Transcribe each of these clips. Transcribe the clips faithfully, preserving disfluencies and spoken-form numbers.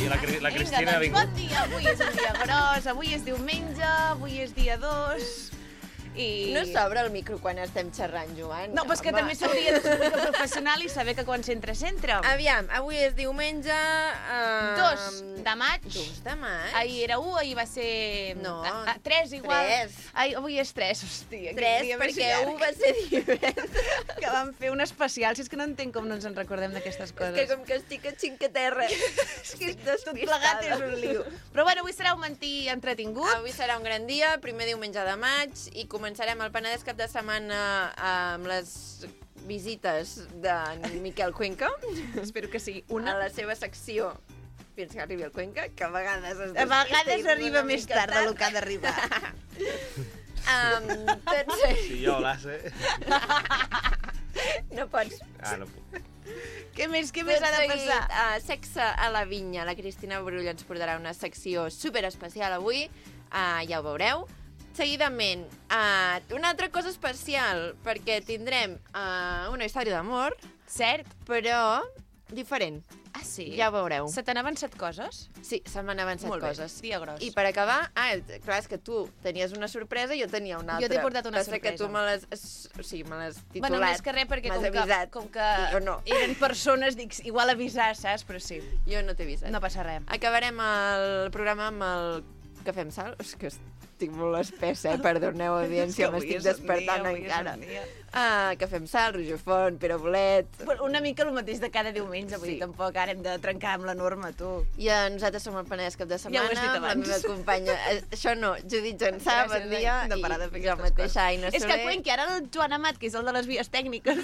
la, la Cristina ha vingut. Bon dia, avui és un dia gros, avui és diumenge, avui és dia dos... I... No s'obre el micro quan estem xerrant, Joan. No, però és que també s'hauria de ser un micro professional i saber que quan s'entra, s'entra. Aviam, avui és diumenge... Uh, dos de maig. dos de maig. Ahir era u, ahir va ser... No. A, a, tres, igual. Tres. Ai, avui és tres, hòstia. Tres, perquè u va ser divendres. Que vam fer un especial, si és que no entenc com no ens en recordem d'aquestes coses. És que com que estic a xincaterra. És que tot plegat és un lío. Però bueno, avui serà un mentí entretingut. Avui serà un gran dia, primer diumenge de maig, i començarem el Penedès cap de setmana amb les visites de Miquel Cuenca. Espero que sigui una. una. A la seva secció fins que arribi el Cuenca, que a vegades... Es a vegades arriba més tard del que ha d'arribar. um, tots... Si jo l'hace... No pots. Ah, no puc. Què més, què més ha de passar? Uh, sexe a la vinya. La Cristina Brull ens portarà una secció superespecial avui. Uh, ja ho veureu. Seguidament, uh, una altra cosa especial, perquè tindrem uh, una història d'amor. Cert. Però diferent. Ah, sí? Ja ho veureu. Se t'han avançat coses? Sí, se m'han avançat Molt bé, coses. dia gros. I per acabar, ah, clar, és que tu tenies una sorpresa i jo tenia una altra. Jo t'he portat una Passa sorpresa. que tu me l'has... O sigui, me l'has titulat. Bueno, més que res, perquè com que, com que no. eren persones, dic, igual avisar, saps? Però sí. Jo no t'he avisat. No passa res. Acabarem el programa amb el Cafè amb Sal. És que estic molt espessa, eh? Perdoneu, audiència, m'estic despertant encara. Ah, Cafè amb Sal, Roger Font, Pere Bolet... Una mica el mateix de cada diumenge, vull Sí. dir, tampoc ara hem de trencar amb la norma, tu. I eh, nosaltres som el Penedès cap de Ja setmana. ho has dit amb la abans. meva companya... Eh, això no, Judit Jansà, Gràcies, bon dia. de parar de fer I jo aquestes mateixa, Aina És que Soler. Cuenca, ara el Joan Amat, que és el de les vies tècniques,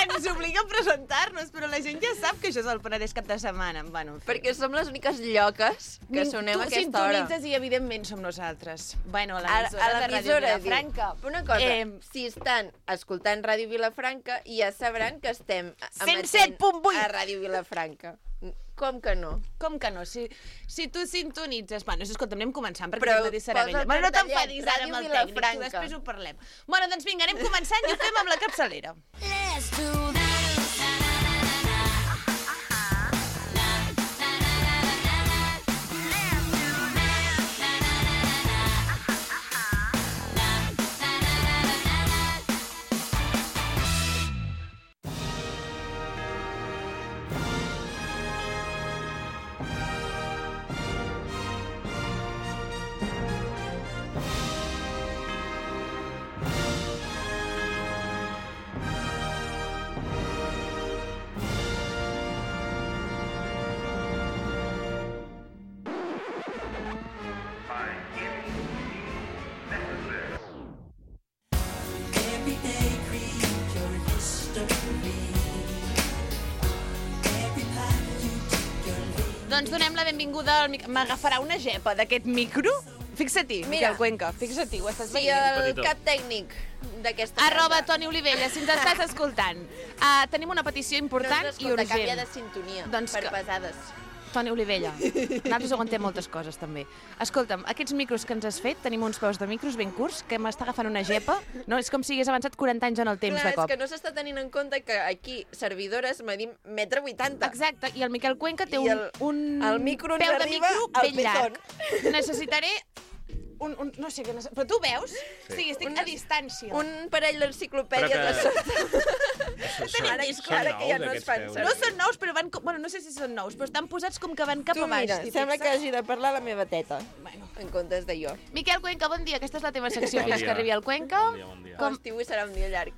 ens obliga a presentar-nos, però la gent ja sap que això és el Penedès cap de setmana. Bueno, en fi. Perquè som les úniques lloques que sonem a aquesta hora. Tu sintonitzes i, evidentment, som nosaltres. Bueno, a A, l'emissora a de Ràdio l'emissora Vilafranca. diu, una cosa, Eh, si estan escoltant Ràdio Vilafranca, ja sabran que estem cent set punt vuit a Ràdio Vilafranca. Com que no? Com que no? Si, si tu sintonitzes... Bueno, escolta, anem començant, perquè Però aquest matí serà posa vella. el Bueno, no cartellet, t'enfadis ara amb el Ràdio tècnic, tu Vilafranca. després ho parlem. Bueno, doncs vinga, anem començant i ho fem amb la capçalera. Let's do that. Doncs donem la benvinguda al... mic- M'agafarà una gepa d'aquest micro? Fixa-t'hi, Mira. Miquel Cuenca, fixa-t'hi, ho estàs Sí, veient? el Petitó. cap tècnic d'aquesta Arroba casa. Toni Olivella, si ens estàs escoltant. Uh, tenim una petició No important ens i escolta, urgent. canvia de sintonia, Doncs per que- pesades. Toni Olivella, nosaltres aguantem moltes coses, també. Escolta'm, aquests micros que ens has fet, tenim uns peus de micros ben curts, que m'està agafant una gepa. No, és com si hagués avançat quaranta anys en el temps Clar, de cop. és que no s'està tenint en compte que aquí, servidores, medim metre vuitanta. Exacte, i el Miquel Cuenca té I un, el- un el micro ens peu de arriba micro al ben llarg. pezón. Necessitaré un, un... No sé què... Necess... Però tu veus? Sí, sí estic Un- a distància. Un parell d'enciclopèdies Però que- de sota. Són, Ara- són ara que ja nous, no es aquests fan peus. servir. No són nous, però van... com- Bueno, no sé si són nous, però estan posats com que van cap Tu a baix. mira, t'hi sembla que fixes? hagi de parlar la meva teta, Bueno. en comptes de jo. Miquel Cuenca, bon dia. Aquesta és la teva secció Bon fins dia. que arribi el Cuenca. Bon dia, bon dia. Com- L'estiu serà un dia llarg.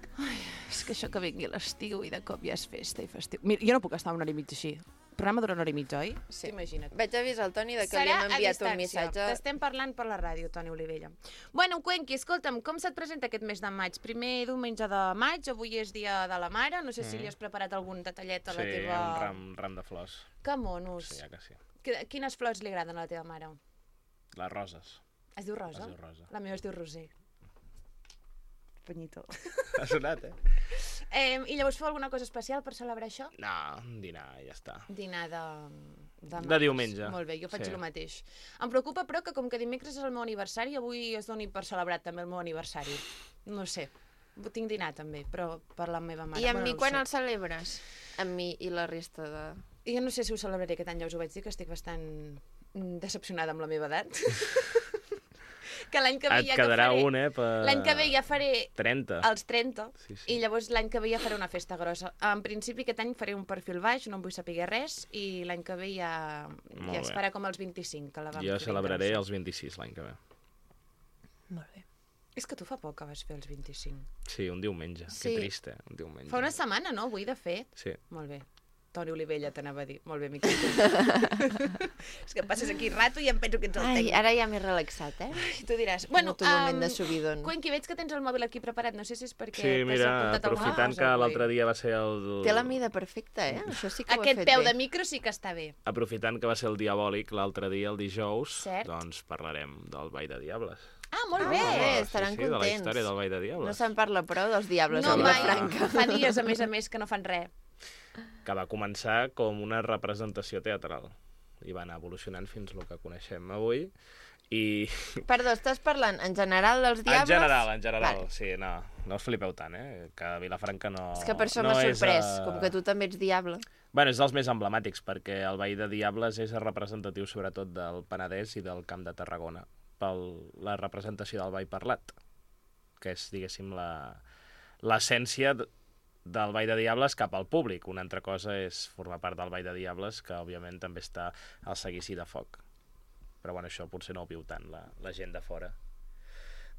És que això que vingui l'estiu i de cop ja és festa i festiu. Mira, jo no puc estar una hora i mitja així. El programa dura una hora i mitja, oi? Sí. Imagina't. Vaig avisar al Toni de que li Serà hem a enviat un distància. missatge. T'estem parlant per la ràdio, Toni Olivella. Bueno, Cuenqui, escolta'm, com se't presenta aquest mes de maig? Primer diumenge de maig, avui és dia de la mare, no sé si li has preparat algun detallet a la Sí, teva... un ram, ram de flors. Que monos. Sí, ja que sí. Qui- Quines flors li agraden a la teva mare? Les roses. Es diu Rosa? Es diu Rosa. La meva es diu Roser. Punyito. Ha sonat, eh? Eh, I llavors feu alguna cosa especial per celebrar això? No, un dinar, ja està. Dinar de... De, De diumenge. Molt bé, jo faig Sí. el mateix. Em preocupa, però, que com que dimecres és el meu aniversari, avui es doni per celebrat també el meu aniversari. No sé. Tinc dinar, també, però per la meva mare. I amb Bueno, mi no ho quan sé. el celebres? Amb mi i la resta de Jo no sé si ho celebraré aquest any, ja us ho vaig dir, que estic bastant mm, decepcionada amb la meva edat. Que l'any que ve Et ja quedarà que faré... un, eh? Per... L'any que ve ja faré trenta. els trenta, Sí, sí. i llavors l'any que ve ja faré una festa grossa. En principi aquest any faré un perfil baix, no em vull saber res, i l'any que ve ja, Molt ja es bé. farà com els vint-i-cinc, que la vam Jo fer celebraré intensa. els vint-i-sis l'any que ve. Molt bé. És que tu fa poc que vas fer els vint-i-cinc. Sí, un diumenge. Sí. Que trist, eh? Un diumenge. Fa una setmana, no? Avui, de fet. Sí. Molt bé. Toni Olivella t'anava a dir. Molt bé, Miquel. És que passes aquí rato i em penso que ets el Ai, tècnic. ara ja m'he relaxat, eh? I tu diràs... Bueno, un moment em, de subidon. Cuenqui, veig que tens el mòbil aquí preparat. No sé si és perquè Sí, t'has mira, apuntat al aprofitant mouse que avui. l'altre dia va ser el... Té la mida perfecta, eh? Això sí que ho ha Aquest fet peu bé. de micro sí que està bé. Aprofitant que va ser el diabòlic l'altre dia, el dijous, Cert. doncs parlarem del Ball de Diables. Ah, molt Ah, bé! molt bé. Oh, estaran sí, sí, de la contents. història del Ball de No Diables. se'n parla prou dels diables No, a Sí, mai. Vilafranca. Fa dies, a més a més, que no fan res. Que va començar com una representació teatral i va anar evolucionant fins al que coneixem avui. I Perdó, estàs parlant en general dels diables? en general, en general, Vale. sí, no, no us flipeu tant, eh? Que Vilafranca no... És que per això no m'ha és, sorprès, eh, com que tu també ets diable. Bueno, és dels més emblemàtics, perquè el Ball de Diables és representatiu sobretot del Penedès i del Camp de Tarragona, per la representació del ball parlat, que és, diguéssim, la- l'essència d- del Ball de Diables cap al públic. Una altra cosa és formar part del Ball de Diables, que òbviament també està al seguici de foc. Però bueno, això potser no ho viu tant la, la gent de fora.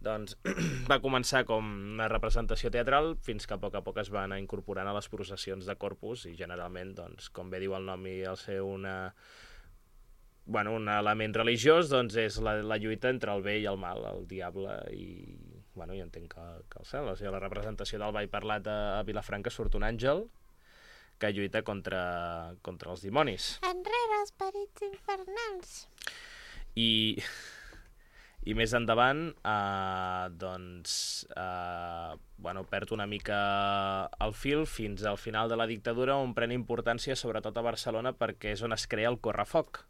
Doncs va començar com una representació teatral fins que a poc a poc es va anar incorporant a les processions de Corpus i generalment, doncs, com bé diu el nom i el ser una... Bueno, un element religiós, doncs és la, la lluita entre el bé i el mal, el diable i... Bueno, jo entenc que, que el cel. O sigui, la representació del ball parlat a, a Vilafranca surt un àngel que lluita contra, contra els dimonis. Enrere, esperits infernals. I, i més endavant, eh, doncs, eh, bueno, perd una mica el fil fins al final de la dictadura, on pren importància sobretot a Barcelona perquè és on es crea el correfoc.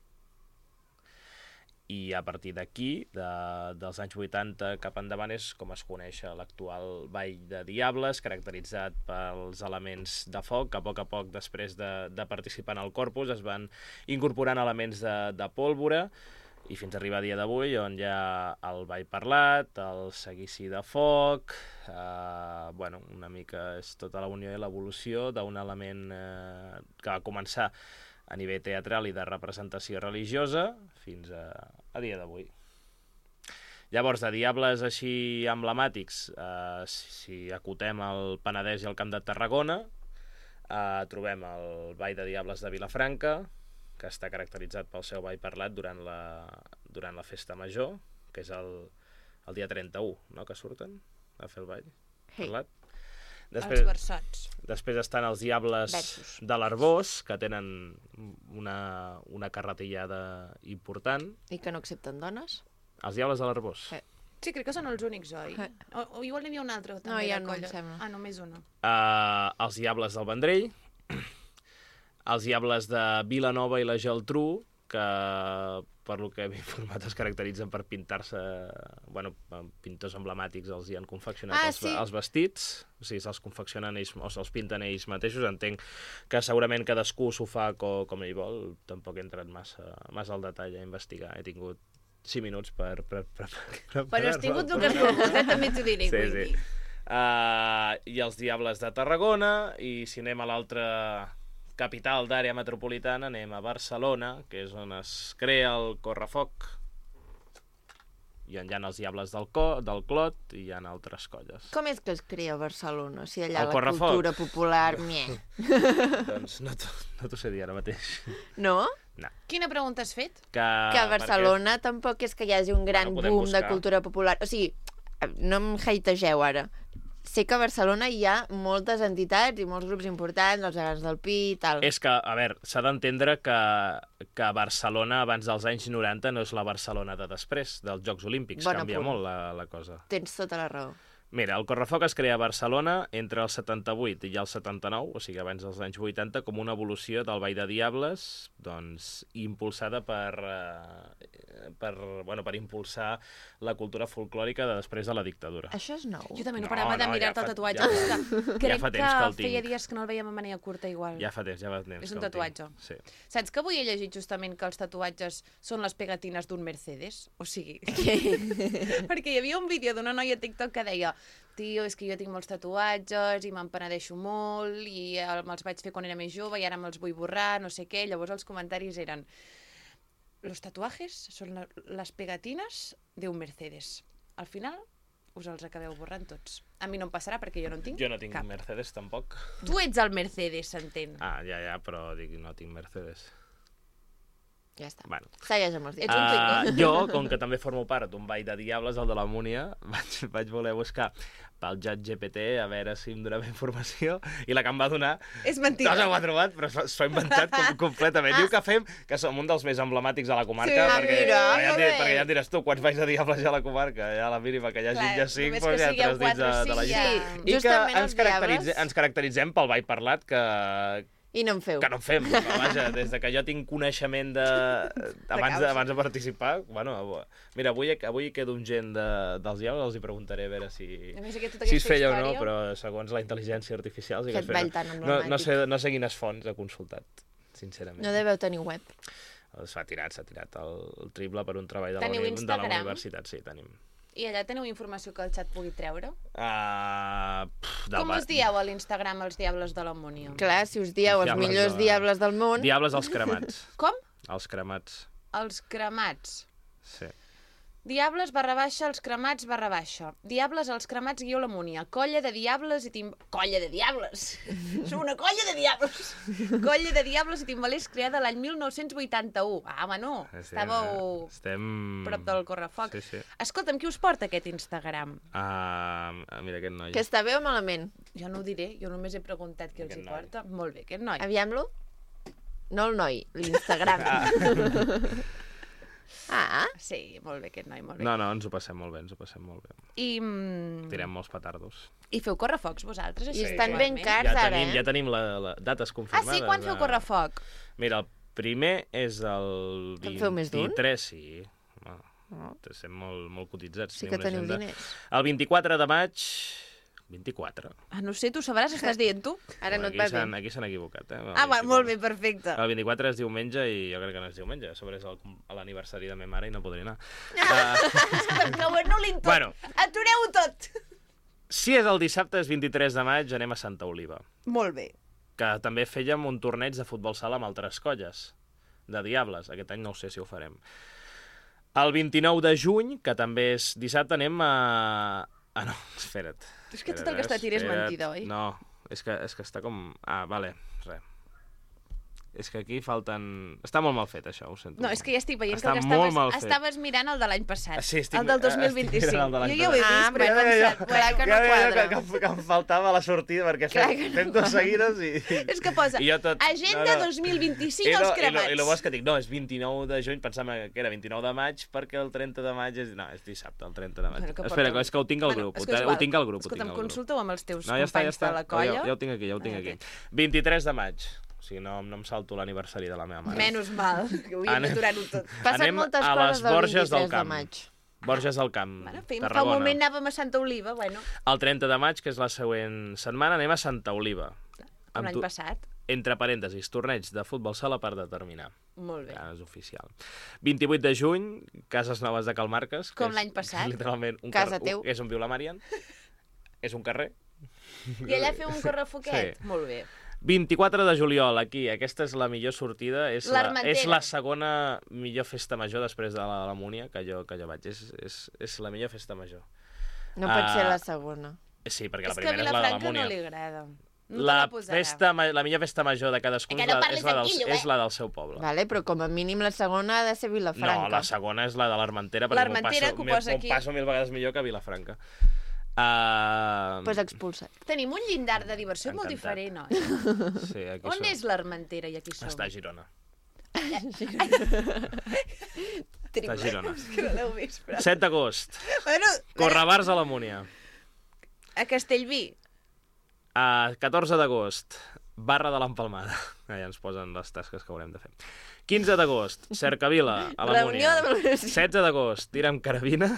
I a partir d'aquí, de, dels anys vuitanta cap endavant, és com es coneix l'actual Ball de Diables, caracteritzat pels elements de foc, que a poc a poc, després de, de participar en el Corpus, es van incorporant elements de, de pólvora, i fins a arribar a dia d'avui, on hi ha el ball parlat, el seguici de foc, eh, bueno, una mica és tota la unió i l'evolució d'un element eh, que va començar a nivell teatral i de representació religiosa fins a, a dia d'avui. Llavors, de diables així emblemàtics, eh, si acotem el Penedès i el Camp de Tarragona, eh, trobem el Ball de Diables de Vilafranca, que està caracteritzat pel seu ball parlat durant la, durant la festa major, que és el, el dia trenta-u, no?, que surten a fer el ball Sí. parlat. Els versots. Després estan els Diables Versos. de l'Arbós, que tenen una, una carretillada important. I que no accepten dones? Els Diables de l'Arbós. Sí. Sí, crec que són els únics, oi? Eh. O, o igual n'hi havia un altre, també, No, ja de no em colla. sembla. Ah, només una. Uh, els Diables del Vendrell, els Diables de Vilanova i la Geltrú, que per lo que he informat es caracteritzen per pintar-se, bueno, pintors emblemàtics els hi han confeccionat Ah, els, sí. els vestits, o sigui, se'ls confeccionen ells, o se'ls pinten ells mateixos. Entenc que segurament cadascú s'ho fa com, com ell vol, tampoc he entrat massa, massa al detall a investigar, he tingut cinc minuts per, per, per, per Però has tingut el el que has volgut, eh? També t'ho diré, Sí, vull sí. dir. Uh, i els Diables de Tarragona, i si anem a l'altra capital d'àrea metropolitana, anem a Barcelona, que és on es crea el correfoc, i on hi ha els Diables del, Co, del Clot, i hi ha altres colles. Com és que es crea a Barcelona? Si allà El la correfoc. cultura popular... Mie. Doncs no t'ho no t'ho sé dir ara mateix. No? Quina pregunta has fet? Que, Que a Barcelona tampoc és que hi hagi un gran Bueno, podem boom de buscar. cultura popular. O sigui, no em hategeu ara. Sé que a Barcelona hi ha moltes entitats i molts grups importants, els gegants del Pi i tal. És que, a veure, s'ha d'entendre que, que Barcelona abans dels anys noranta no és la Barcelona de després, dels Jocs Olímpics. Bon Canvia apunt. molt la, la cosa. Tens tota la raó. Mira, el Correfoc es crea a Barcelona entre el setanta-vuit i el setanta-nou, o sigui, abans dels anys vuitanta, com una evolució del Ball de Diables, doncs, impulsada per, eh, per, bueno, per impulsar la cultura folclòrica de després de la dictadura. Això és nou. Jo també no, No, parava de no, mirar-te ja el fa- tatuatge. ja- és que crec ja fa temps que, que el feia tinc. dies que no el veiem a mania curta igual. Ja fa temps, ja fa temps. És que un el tinc. tatuatge. Sí. Saps que avui he llegit justament que els tatuatges són les pegatines d'un Mercedes? O sigui... perquè hi havia un vídeo d'una noia a TikTok que deia tio, és que jo tinc molts tatuatges i me'n penedeixo molt i el- me'ls vaig fer quan era més jove i ara me'ls vull borrar, no sé què. Llavors els comentaris eren los tatuajes son la- las pegatinas de un Mercedes. Al final us els acabeu borrant tots. A mi no em passarà perquè jo no en tinc Jo no tinc cap. Mercedes, tampoc. Tu ets el Mercedes, s'entén. Ah, ja, ja, però dic, no tinc Mercedes. Ja està. Bueno. Segueix amb els Ets dies. un Uh, pingüí. jo, com que també formo part d'un ball de diables, el de la Múnia, vaig, vaig voler buscar pel Chat G P T a veure si em donava informació i la que em va donar És mentida. no se ho ha trobat, però s'ho s'ho ha inventat com, completament. Diu que fem, que som un dels més emblemàtics a la comarca, Sí, perquè, mira, perquè, ja, molt et diré- bé. perquè ja em diràs tu, quants balls de diables hi ha a la comarca? Ja a la mínima que hi hagi Clar, ja cinc, només doncs que ja sigueu tres dits de, quatre o de la cinc, llista. ja. I que Justament ens, els caracteritze, diables. ens caracteritzem pel ball parlat que, I no en feu. que no en fem. Però, vaja, des de que jo tinc coneixement de... abans, de, causa. abans de participar, bueno, avui- mira, avui, avui quedo amb gent de, dels diables, els hi preguntaré a veure si, A més, aquesta, si es feia o no, història... però segons la intel·ligència artificial... Sí que Aquest es feia. ball tan no, emblemàtic. no, sé, no sé quines fonts ha consultat, sincerament. No deveu tenir web. S'ha tirat, s'ha tirat el, el triple per un treball de la, Teniu uni, de la Instagram? universitat, sí, tenim. I allà teniu informació que el xat pugui treure? Uh, pff, del Com ba- us dieu a l'Instagram els Diables de l'Ammònia? Clar, si us dieu els Diables millors de- diables del món... Diables als cremats. Com? Els cremats, Els cremats. sí. Diables barra baixa, els cremats barra baixa. Diables, els cremats, guió l'Ammònia. Colla de diables i tim... Colla de diables! Som una colla de diables! Colla de diables i timbalers creada l'any mil nou-cents vuitanta-u. Ah, home, no. Sí, Estàveu Estem... prop del correfoc. Sí, sí. Escolta'm, qui us porta aquest Instagram? Uh, mira aquest noi. Que està bé o malament? Jo no ho diré, jo només he preguntat qui els Aquest hi noi. porta. Molt bé, aquest noi. Aviam-lo. No el noi, l'Instagram. Ah, Sí, molt bé, aquest noi, molt bé. No, no, ens ho passem molt bé, ens ho passem molt bé. I, mm, Tirem molts petardos. I feu correfocs vosaltres, i així? estan ben igualment? cars Ja ara, tenim, eh? ja tenim la, la dates Ah, confirmades. sí? Quan feu de- correfoc? Mira, el primer és el En feu més d'un? vint-i-tres, sí. Home, Oh, estem molt, molt cotitzats. sí tenim que una teniu agenda. diners. El vint-i-quatre de maig... vint-i-quatre. Ah, no sé, tu sabràs, estàs dient tu? Ara no et aquí va s'han- bé. Aquí s'han equivocat, eh? El Ah, va, vint-i-quatre. molt bé, perfecte. El vint-i-quatre és diumenge i jo crec que no és diumenge. A sobre és el- a l'aniversari de ma mare i no podré anar. Ah. Que ho anul·lin tot. Bueno. Atureu-ho tot. Si és el dissabte, és vint-i-tres de maig, anem a Santa Oliva. Molt bé. Que també fèiem un torneig de futbol sala amb altres colles, de Diables. Aquest any no ho sé si ho farem. El vint-i-nou de juny, que també és dissabte, anem a... Ah, no, espera't. És que tot espera't, el que està a tir és espera't. mentida, oi? No, és que, és que està com... Ah, vale, res. És que aquí falten... Està molt mal fet, això, ho sento. No, és que ja estic veient Està que el que molt estaves, mal fet. estaves mirant el de l'any passat. Sí, estic- el del dos mil estic vint-i-cinc. mirant el de l'any Jo ja ho he vist, passat. però he Ah, pensat... però clar que no ja veia quadra. Que, que, que em faltava la sortida, perquè Clar fem, que no fem dos seguides i... És que posa, I jo tot- agenda no, no. dos mil vint-i-cinc I, als no, i, lo, cremats. I el bo és que dic, no, és vint-i-nou de juny, pensava que era vint-i-nou de maig, perquè el trenta de maig és... No, és dissabte, el trenta de maig. Bueno, que Espera, porta- és que ho tinc al Bueno, grup, és ho, que és te- igual. ho tinc al grup, ho Escolta'm, tinc al grup. consulta-ho amb els teus No, ja està, ja companys està. de la colla. Ja, ja ho tinc aquí, ja ho tinc Ah, aquí. ok. vint-i-tres de maig. O sigui, no, no em salto l'aniversari de la meva mare. Menys mal, que hauríem Anem- d'aturar-ho tot. Passen Anem moltes a coses les del Borges del vint-i-tres de Camp. maig. Borges del Camp, Bueno, fem, fa un Tarragona. moment anàvem a Santa Oliva, bueno, El trenta de maig, que és la següent setmana, anem a Santa Oliva. com Amb l'any tu- passat. Entre parèntesis, torneig de futbol sala per determinar. Molt bé. Ja és oficial. vint-i-vuit de juny, Cases Noves de Calmarques. que Com és l'any passat. Literalment un Casa carrer, teu. un, és on viu la Marian. És un carrer. I allà feu un correfoquet? Sí. Molt bé. vint-i-quatre de juliol, aquí. Aquesta és la millor sortida. És la, L'Armentera. és la segona millor festa major després de la, la Múnia que jo, que jo vaig. És, és, és la millor festa major. No pot Ah, ser la segona. Sí, perquè És la que a primera és la de la Vilafranca Múnia. no li agrada. No te la, la posarà. festa, ma- la millor festa major de cadascun Que és no la, parlis és, la del, tranquillo, eh? és la del seu poble. Vale, però com a mínim la segona ha de ser Vilafranca. No, la segona és la de l'Armentera, perquè m'ho L'Armentera, passo, que ho m'ho- posa m'ho aquí. passo mil vegades millor que a Vilafranca. Uh, Pues expulsat. Tenim un llindar de diversió molt Encantat. diferent, oi? sí, aquí On som. és l'Armentera i aquí som? Està a Girona. Triple. Està a Girona. Que no l'heu vist, però... set d'agost. Bueno, Correbars a la Múnia. A Castellví. A catorze d'agost, Barra de l'Empalmada. Allà ens posen les tasques que haurem de fer. quinze d'agost, Cercavila, a la Reunió Múnia. de valoració. setze d'agost, Tira amb Carabina.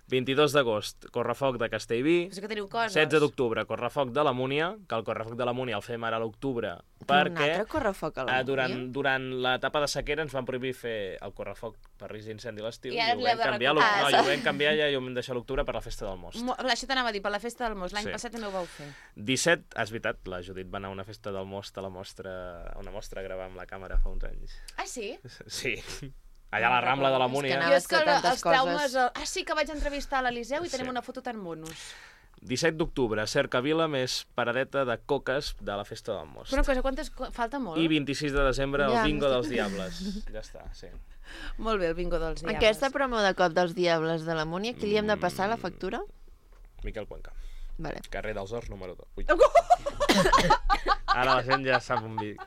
vint-i-dos d'agost, Correfoc de Castellví. Però que teniu coses. setze d'octubre, Correfoc de la Múnia, que el Correfoc de la Múnia el fem ara a l'octubre, Un perquè altre correfoc a la eh, durant, Múnia? durant l'etapa de sequera ens van prohibir fer el Correfoc per risc d'incendi a l'estiu I i, ara ho l'heu vam de canviar, recuperar. no, i ho vam canviar ja i ho vam deixar a l'octubre per la festa del most. Mo- Clar, això t'anava a dir, per la festa del most. L'any Sí. passat també ho vau fer. disset, és veritat, la Judit va anar a una festa del most a la mostra, a una mostra a gravar amb la càmera fa uns anys. Ah, sí? Sí, allà a la Rambla de la És que Múnia. anava- Jo és que fer tantes els traumes... coses. Ah, sí, que vaig entrevistar a l'Eliseu i tenim Sí. una foto tan monos. disset d'octubre, Cercavila més paradeta de coques de la festa del most. Però una cosa, quantes... qu- Falta molt? I vint-i-sis de desembre, el Ja, bingo m'estic- dels Diables. Ja està, sí. Molt bé, el bingo dels diables. Aquesta promo de cop dels Diables de la Múnia, qui li hem de passar la factura? Miquel Cuenca. Vale. Carrer dels Horts, número dos. Ui. Ara la gent ja sap on vic.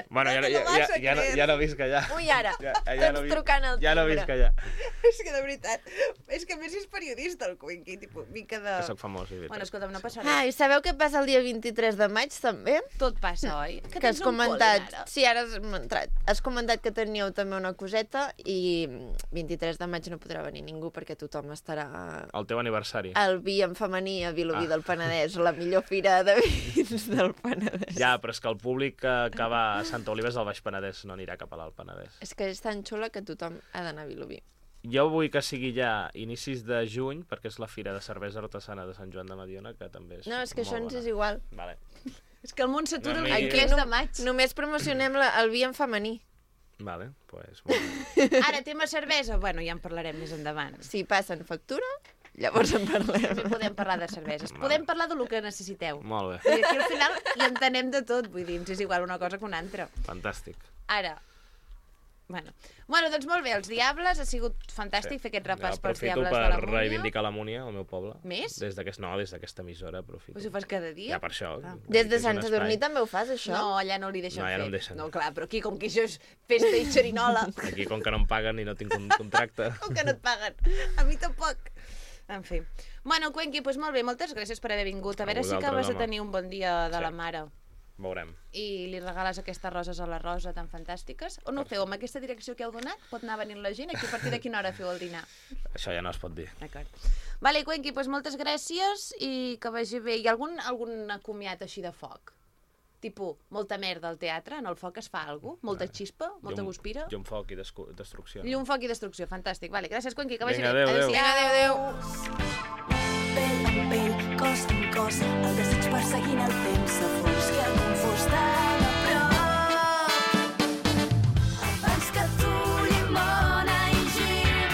Bueno, ja, no- ja, ja, ja, no, ja no visc allà. Ui, ara, Ja, tots no vi- trucant al Ja no timbre. visc allà. És que de veritat, és que a més és periodista el Cuenqui, tipus, mica de... Que soc famós, i Bueno, veritat. escolta'm, no passa res. Ah, i sabeu què passa el dia vint-i-tres de maig, també? Tot passa, oi? Que, tens has un comentat... pol·len, ara. Sí, ara has entrat. Has comentat que teníeu també una coseta i vint-i-tres de maig no podrà venir ningú perquè tothom estarà El teu aniversari. al vi en femení a Vilobí Ah. del Penedès, la millor fira de vins del Penedès. Ja, però és que el públic que, que va a Santa Oliva és del Baix Penedès, no anirà cap a l'Alt Penedès. És que és tan xula que tothom ha d'anar a Vilobí. Jo vull que sigui ja inicis de juny, perquè és la Fira de Cervesa Artesana de Sant Joan de Mediona, que també és No, és que molt això ens bona. és igual. Vale. És que el món s'atura No, el mi- vint-i-tres de maig. Només promocionem la, el vi en femení. Vale, pues, molt bé. Ara, tema cervesa, bueno, ja en parlarem més endavant. Si passen factura, llavors en També parlem. podem parlar de cerveses. Podem parlar del que necessiteu. Molt bé, I aquí al final hi entenem de tot, vull dir, ens és igual una cosa que una altra. fantàstic. Ara, bueno, bueno doncs molt bé, els Diables, ha sigut fantàstic sí. fer aquest repàs pels Aprofito Diables per de la Múnia. reivindicar la Múnia, el meu poble. Més? Des d'aquest, no, des d'aquesta emissora aprofito. Però si ho fas cada dia? Ja per això. Ah. Des de és un Sant Sadurní espai. també ho fas, això? No, allà no li deixen No, allà fer. no em deixen. No, clar, però aquí, com que això és festa i xerinola, Aquí, com que no em paguen i no tinc un contracte... com que no et paguen. A mi tampoc. En fi. Bueno, Cuenqui, doncs molt bé, moltes gràcies per haver vingut. A veure A si vosaltres, acabes de home. tenir un bon dia de Sí. la mare. Veurem. I li regales aquestes roses a la Rosa tan fantàstiques. On ho feu? Amb aquesta direcció que heu donat? Pot anar venint la gent? Aquí a partir de quina hora feu el dinar? Això ja no es pot dir. D'acord. Vale, Cuenqui, doncs moltes gràcies i que vagi bé. Hi ha algun, algun comiat així de foc? Tipo, molta merda al teatre, en el foc es fa alguna cosa? Molta xispa? Molta Llum- guspira? Llum, foc i descu- destrucció. Llum, foc i destrucció, fantàstic. Vale, gràcies, Cuenqui, que vagi Vinga, bé. adéu, adéu. Vinga, adéu, adéu. Pell amb pell, cos amb cos, el desig perseguint el temps s'afons que el confós tan a prop. Abans que tu, llimona i gin,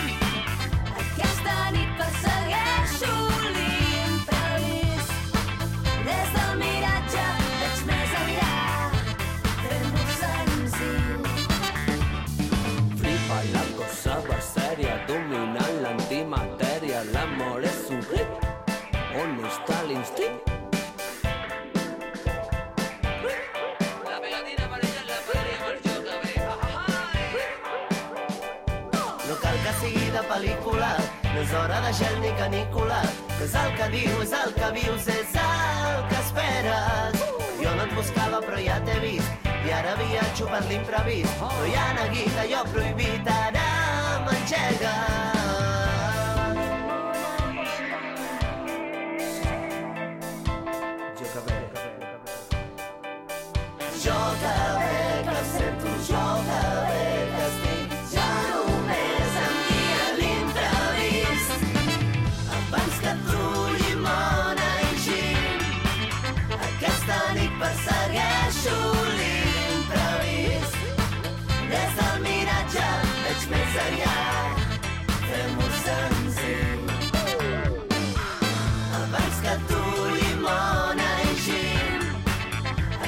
aquesta nit persegueixo l'imprevist. Des del miratge veig més enllà, fem-ho senzill. Flipa la cosa va seria, dominant l'antimatèria. L'amor és un hit, on està l'instint? La pegatina amarilla la podríem jo també. No cal que sigui de pel·lícula, no és hora de gel ni canícula, que és el que diu, és el que vius, és el que esperes. Jo no et buscava però ja t'he vist, i ara viatjo per l'imprevist. No hi ha neguit, allò prohibit, ara m'engega. Jo que bé. Jo que bé que sento, jo que bé que estic, ja només em guia l'imprevist. Abans que tu, llimona i gin, aquesta nit persegueixo l'imprevist. Des del miratge veig més enllà, fem-ho senzill. Abans que tu, llimona i gin,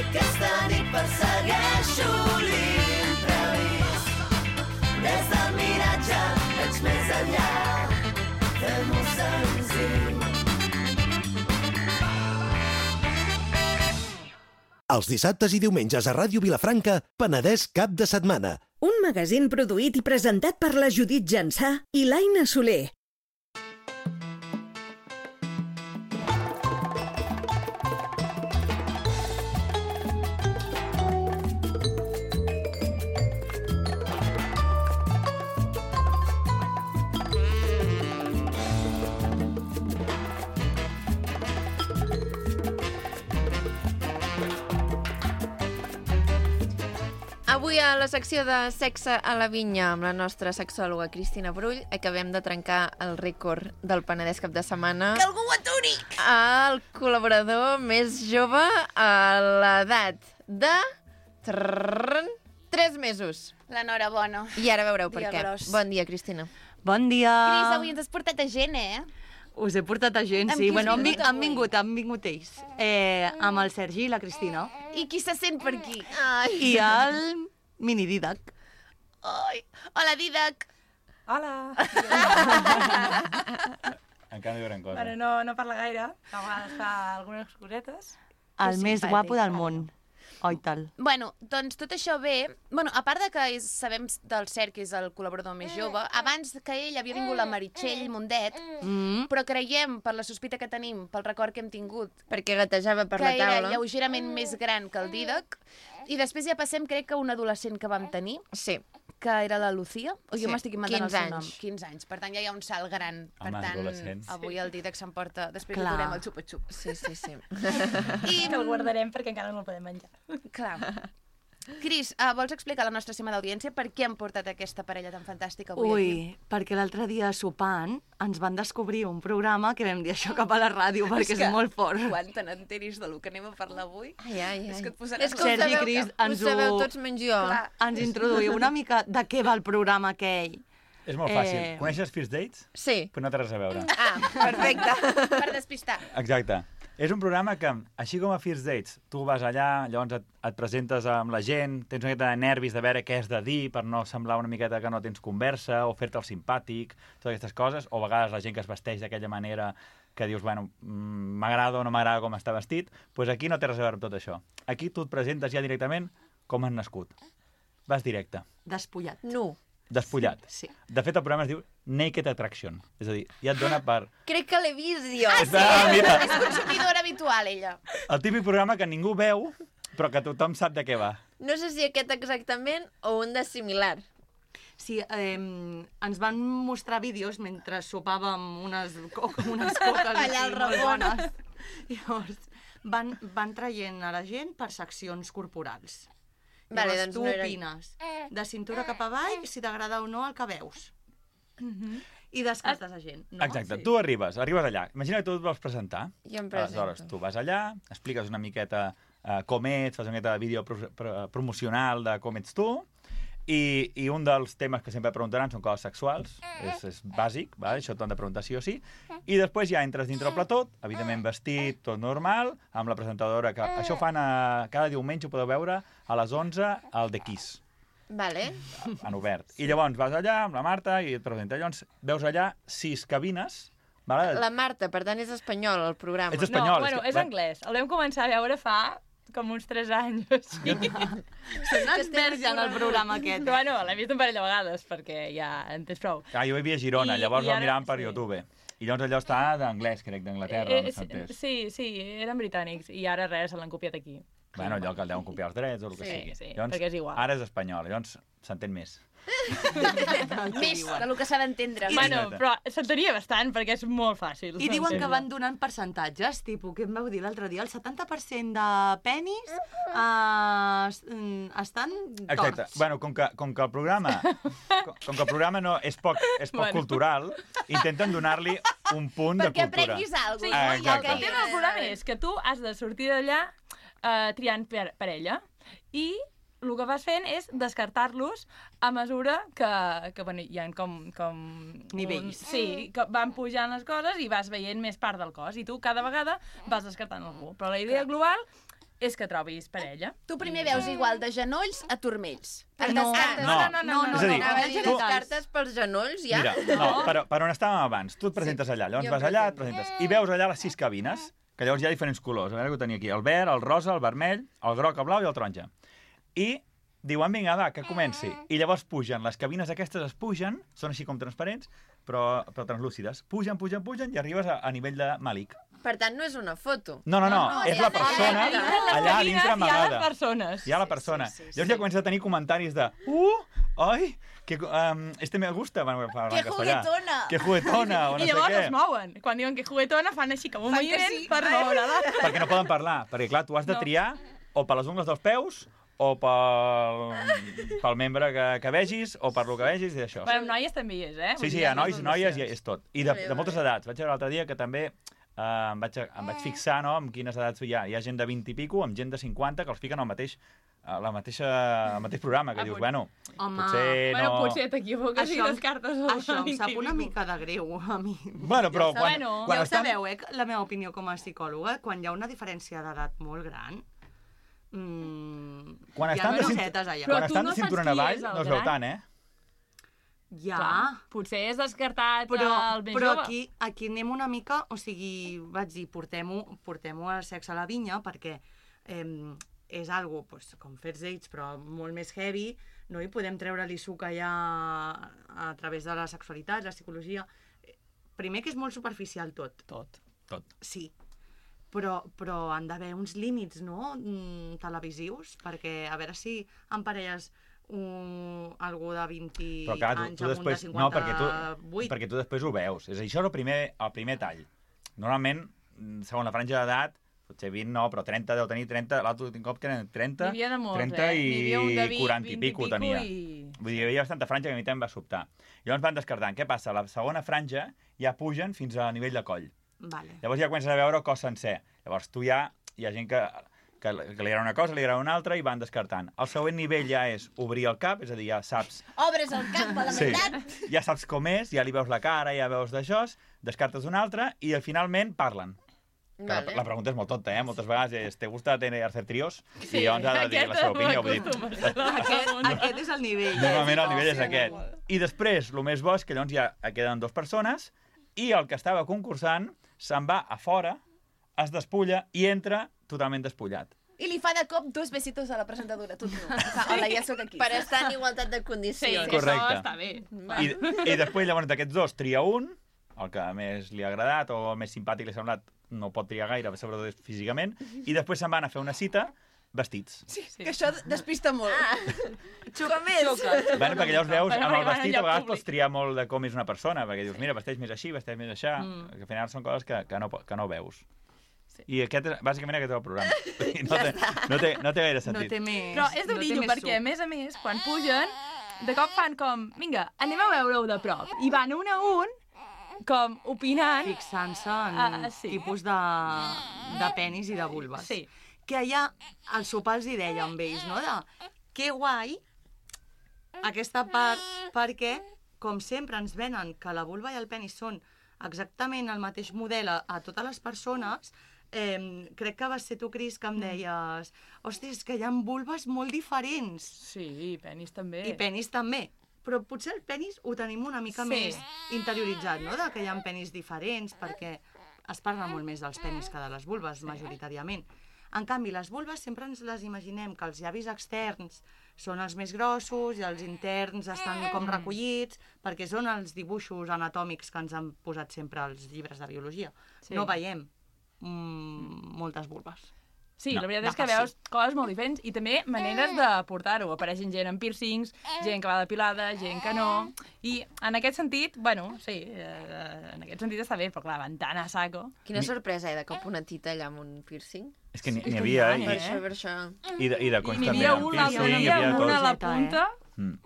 aquesta nit persegueixo l'imprevist. Des del miratge veig més enllà, fem-ho senzill. Els dissabtes i diumenges a Ràdio Vilafranca, Penedès cap de setmana. Un magazín produït i presentat per la Judit Jansà i l'Aina Soler. Avui a la secció de Sexe a la Vinya amb la nostra sexòloga Cristina Brull acabem de trencar el rècord del Penedès cap de setmana. Que algú ho aturi! El col·laborador més jove a l'edat de... tres mesos. L'enhorabona. I ara veureu per Dia què. gros. Bon dia, Cristina. Bon dia. Cris, avui ens has portat a gent, eh? Us he portat a gent, Amb sí. qui has Bueno, han, vingut vi- han avui? vingut, han vingut ells. Eh, amb el Sergi i la Cristina. I qui se sent per aquí? Ai. I el mini Didac. Ai. Hola, Didac. Hola! Encara no diuen cosa. Bueno, no, no parla gaire, a vegades fa algunes cosetes. El més simpàtic. guapo del món. Oi tal. Bueno, doncs tot això ve... Bueno, a part de que és, sabem del Cert, que és el col·laborador més jove, abans que ell havia vingut la Meritxell Mundet, Mm. però creiem, per la sospita que tenim, pel record que hem tingut, Perquè gatejava per que la era taula. lleugerament més gran que el Didac, i després ja passem, crec que un adolescent que vam tenir, Sí. que era la Lucía, o Sí, jo m'estic inventant el quinze seu nom. anys. quinze anys. Per tant, ja hi ha un salt gran. Per Home, tant, adolescents. avui el Didac s'emporta... Després Clar. li durem el xupa-xup. Sí, sí, sí. I, Que el guardarem perquè encara no el podem menjar. clar. Cris, uh, vols explicar a la nostra estimada audiència per què han portat aquesta parella tan fantàstica avui Ui, aquí? perquè l'altre dia sopant ens van descobrir un programa que vam dir això cap a la ràdio perquè és, que molt fort. Quan te n'enteris del que anem a parlar avui, Ai, ai, ai. és que et posaràs... És que ho Sergi, sabeu, Cris, ho ens sabeu ho- tots menys jo. Clar. Ens introduïu una mica de què va el programa aquell. És molt fàcil. Eh. Coneixes First Dates? Sí. Però no té res a veure. Ah, perfecte. Per despistar. Exacte. És un programa que, així com a First Dates, tu vas allà, llavors et, et presentes amb la gent, tens una miqueta de nervis de veure què has de dir per no semblar una miqueta que no tens conversa, o fer-te el simpàtic, totes aquestes coses, o a vegades la gent que es vesteix d'aquella manera que dius, bueno, mm, m'agrada o no m'agrada com està vestit, doncs aquí no té res a veure amb tot això. Aquí tu et presentes ja directament com has nascut. Vas directe, Despullat. Nu. despullat. Sí. De fet, el programa es diu Naked Attraction, és a dir, ja et dona per... Crec que l'he vist jo. Ah, sí? Ah, mira. És consumidora habitual, ella. El típic programa que ningú veu, però que tothom sap de què va. No sé si aquest exactament o un de similar. Sí, eh, ens van mostrar vídeos mentre sopàvem unes, co unes coques Allà al així, molt Ramon. bones. Llavors, van, van traient a la gent per seccions corporals. Vale, Llavors, doncs tu no era- opines de cintura cap avall si t'agrada o no el que veus. I descartes a gent. No? Exacte, tu arribes, arribes allà. Imagina que tu et vols presentar. Jo em presento. Aleshores, tu vas allà, expliques una miqueta uh, com ets, fas una miqueta de vídeo pro pro promocional de com ets tu, i, i un dels temes que sempre preguntaran són coses sexuals, és, és bàsic, va? Això t'ho han de preguntar sí o sí, i després ja entres dintre el plató, evidentment vestit, tot normal, amb la presentadora, que això ho fan a, cada diumenge, ho podeu veure, a les onze, al The Kiss. Vale. En obert. I llavors vas allà amb la Marta i et presenta. Llavors veus allà sis cabines. Vale? La Marta, per tant, és espanyol, el programa. Ets espanyol. No, bueno, que- és anglès. El vam començar a veure fa com uns tres anys o així. Són experts ja en el programa aquest. Però bueno, l'he vist un parell de vegades perquè ja en tens prou. Ah, jo vivia a Girona, I- llavors i el ara- miràvem per sí. YouTube. I llavors allò està d'anglès, crec, d'Anglaterra, Eh, no s'ha entès. sí, sí, eren britànics i ara res, se l'han copiat aquí. Bueno, allò que el deuen copiar els drets o el que Sí, sigui. sí, llavors, perquè és igual. Ara és espanyol, llavors s'entén més. Més del que s'ha d'entendre. Bueno, Exacte. però s'entenia bastant perquè és molt fàcil. I diuen que d'entendre. van donant percentatges, tipus, què em vau dir l'altre dia? El setanta per cent de penis eh, es- mm, estan Exacte. torts. Bueno, com que, com que el programa com, com que el programa no és poc, és poc Bueno. cultural, intenten donar-li un punt de Perquè cultura. aprenguis alguna Sí, cosa. Ah, no? I el exacte. que té el programa és que tu has de sortir d'allà eh, triant per, parella i el que vas fent és descartar-los a mesura que, que bueno, hi ha com... com Nivells. Un, sí, que van pujant les coses i vas veient més part del cos. I tu cada vegada vas descartant algú. Però la idea global és que trobis parella. Tu primer veus igual de genolls a turmells. Ah, Et no. descartes- No. no, no, no, És a dir, Anava a dir, tu- descartes pels genolls, ja? Mira, no, per, per on estàvem abans, tu et presentes allà, llavors Jo vas em allà, et presento. presentes, i veus allà les sis cabines, que llavors hi ha diferents colors, a veure que ho tenia aquí, el verd, el rosa, el vermell, el groc, el blau i el taronja. I diuen, vinga, va, que comenci. I llavors pugen, les cabines aquestes es pugen, són així com transparents, però, però translúcides. Pugen, pugen, pugen i arribes a, a nivell de Malik. Per tant, no és una foto. No, no, no, No, no, és ja la sé, persona ja sé. allà dintre Hi ha les amagada. persones. Hi ha la persona. sí, sí, Llavors sí. ja comença a tenir comentaris de uh, ai, que, um, este me gusta. Bueno, parlant Que castellà. juguetona. Que juguetona, o no I sé llavors què. es mouen. Quan diuen que juguetona fan així com un Fan que moviment sí. per moure-la. Perquè no poden parlar. Perquè, clar, tu has de No. triar o per les ungles dels peus o pel, pel membre que, que vegis, o per lo que vegis, i això. Bueno, amb noies també hi és, eh? Sí, sí, hi ha nois, noies, i és tot. I de, de moltes edats. Vaig veure l'altre dia que també eh, em, vaig, em vaig fixar, no?, en quines edats hi ha. Hi ha gent de vint i pico, amb gent de cinquanta, que els fiquen al mateix, a la mateixa, al mateix programa, que Ah, dius, pot- bueno, Home, potser no... Bueno, potser t'equivoques i Això- descartes el Això em sap vint i una pico. mica de greu, a mi. Bueno, però Ja ho quan, bueno, quan Ja ho estan... sabeu, eh? La meva opinió com a psicòloga, quan hi ha una diferència d'edat molt gran, mmm, Quan hi ha estan de, cosetes cintu... allà. Però quan tu estan no de saps cinturón qui avall, és el no es veu gran? tant, eh? Ja, Clar, potser és descartat però, el més però jove. aquí, aquí anem una mica, o sigui, vaig dir, portem-ho portem a sexe a la vinya, perquè eh, és algo, pues, com First Dates, però molt més heavy, no hi podem treure-li suc allà a través de la sexualitat, la psicologia. Primer que és molt superficial tot. Tot. Tot. Sí, però, però han d'haver uns límits, no?, mm, televisius, perquè a veure si en parelles un, algú de vint Però clar, tu, anys tu amb després... un de No, perquè tu, cinquanta-vuit. perquè tu després ho veus. És a dir, això és el primer, el primer tall. Normalment, segons la franja d'edat, potser vint no, però trenta deu tenir trenta, l'altre últim cop que eren trenta, N'hi havia de molts, trenta eh? N'hi havia un de vint, quaranta i vint i pico pico tenia. i- Vull dir, hi havia bastanta franja que a mi també em va sobtar. Llavors van descartant. Què passa? La segona franja ja pugen fins a nivell de coll. Vale. Llavors ja comences a veure el cos sencer. Llavors tu ja, hi ha gent que, que, que li agrada una cosa, li agrada una altra i van descartant. El següent nivell ja és obrir el cap, és a dir, ja saps... Obres el cap a la Sí, meitat. ja saps com és, ja li veus la cara, ja veus d'això, descartes una altra i finalment parlen. Que Vale. La, la pregunta és molt tonta, eh? Moltes vegades és, ¿te gusta tener hacer tríos? Sí, I llavors ha de dir la seva opinió. Vull dir, Aquest, aquest és el nivell. normalment el nivell és aquest. I després, el més bo és que llavors ja queden dues persones i el que estava concursant se'n va a fora, es despulla i entra totalment despullat. I li fa de cop dos besitos a la presentadora, tot nu. Hola, ja sóc aquí. Per estar en igualtat de Sí, condicions. que Correcte. això està bé. I, i després, llavors, d'aquests dos, tria un, el que més li ha agradat o el més simpàtic li ha semblat, no pot triar gaire, sobretot físicament, i després se'n van a fer una cita vestits. Sí, que això despista molt. Xoca més. Bueno, perquè llavors veus, Bueno, amb el perquè van vestit allà a vegades públic. pots triar molt de com és una persona, perquè dius, mira, vesteix més així, vesteix més així, Mm. que al final són coses que, que, no, po- que no veus. Sí. I aquest, és- bàsicament aquest és el programa. No té, no té, no té gaire No sentit. té més... Però és no té durillo, més perquè, a suc. més a més, quan pugen, de cop fan com, vinga, anem a veure-ho de prop. I van un a un, com, opinant. Fixant-se en Ah, sí. tipus de, de penis i de vulves. Sí. Que allà, al sopar els hi deia amb ells, no?, de que guai aquesta part, perquè, com sempre ens venen que la vulva i el penis són exactament el mateix model a, a totes les persones, eh, crec que vas ser tu, Cris, que em deies hòstia, és que hi ha vulves molt diferents. Sí, i penis també. I penis també. Però potser el penis ho tenim una mica Sí. més interioritzat, no?, de que hi ha penis diferents, perquè es parla molt més dels penis que de les vulves, majoritàriament. En canvi, les vulves sempre ens les imaginem que els llavis externs són els més grossos i els interns estan com recollits, perquè són els dibuixos anatòmics que ens han posat sempre als llibres de biologia. Sí. No veiem mm, moltes vulves. Sí, No. la veritat No, és que sí. veus coses molt diferents i també maneres de portar-ho. Apareixen gent amb piercings, gent que va depilada, gent que no... I en aquest sentit, bueno, sí, eh, en aquest sentit està bé, però clar, van tan a saco. Quina sorpresa, eh, de cop una tita allà amb un piercing. És que n'hi n'hi havia, Eh? Per eh? això, per això. I, i de, i de I consta n'hi també. havia amb una, piercing, n'hi hi havia tot. una a la tot. punta. Mm.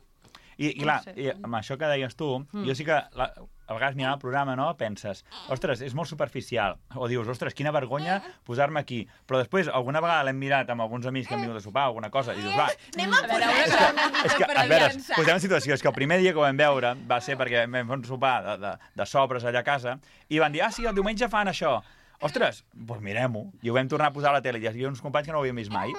I, i clar, sé. i amb això que deies tu, mm. jo sí que la, a vegades mirant el programa, no, penses, ostres, és molt superficial, o dius, ostres, quina vergonya posar-me aquí, però després alguna vegada l'hem mirat amb alguns amics que hem vingut a sopar o alguna cosa, i dius, va, Anem a posar veure, això una és mica que, per a veure, avançar. posem en situació, és que el primer dia que ho vam veure va ser perquè vam fer un sopar de, de, de sobres allà a casa, i van dir, ah, sí, el diumenge fan això. Ostres, doncs mirem-ho. I ho vam tornar a posar a la tele, i hi havia uns companys que no ho havíem vist mai.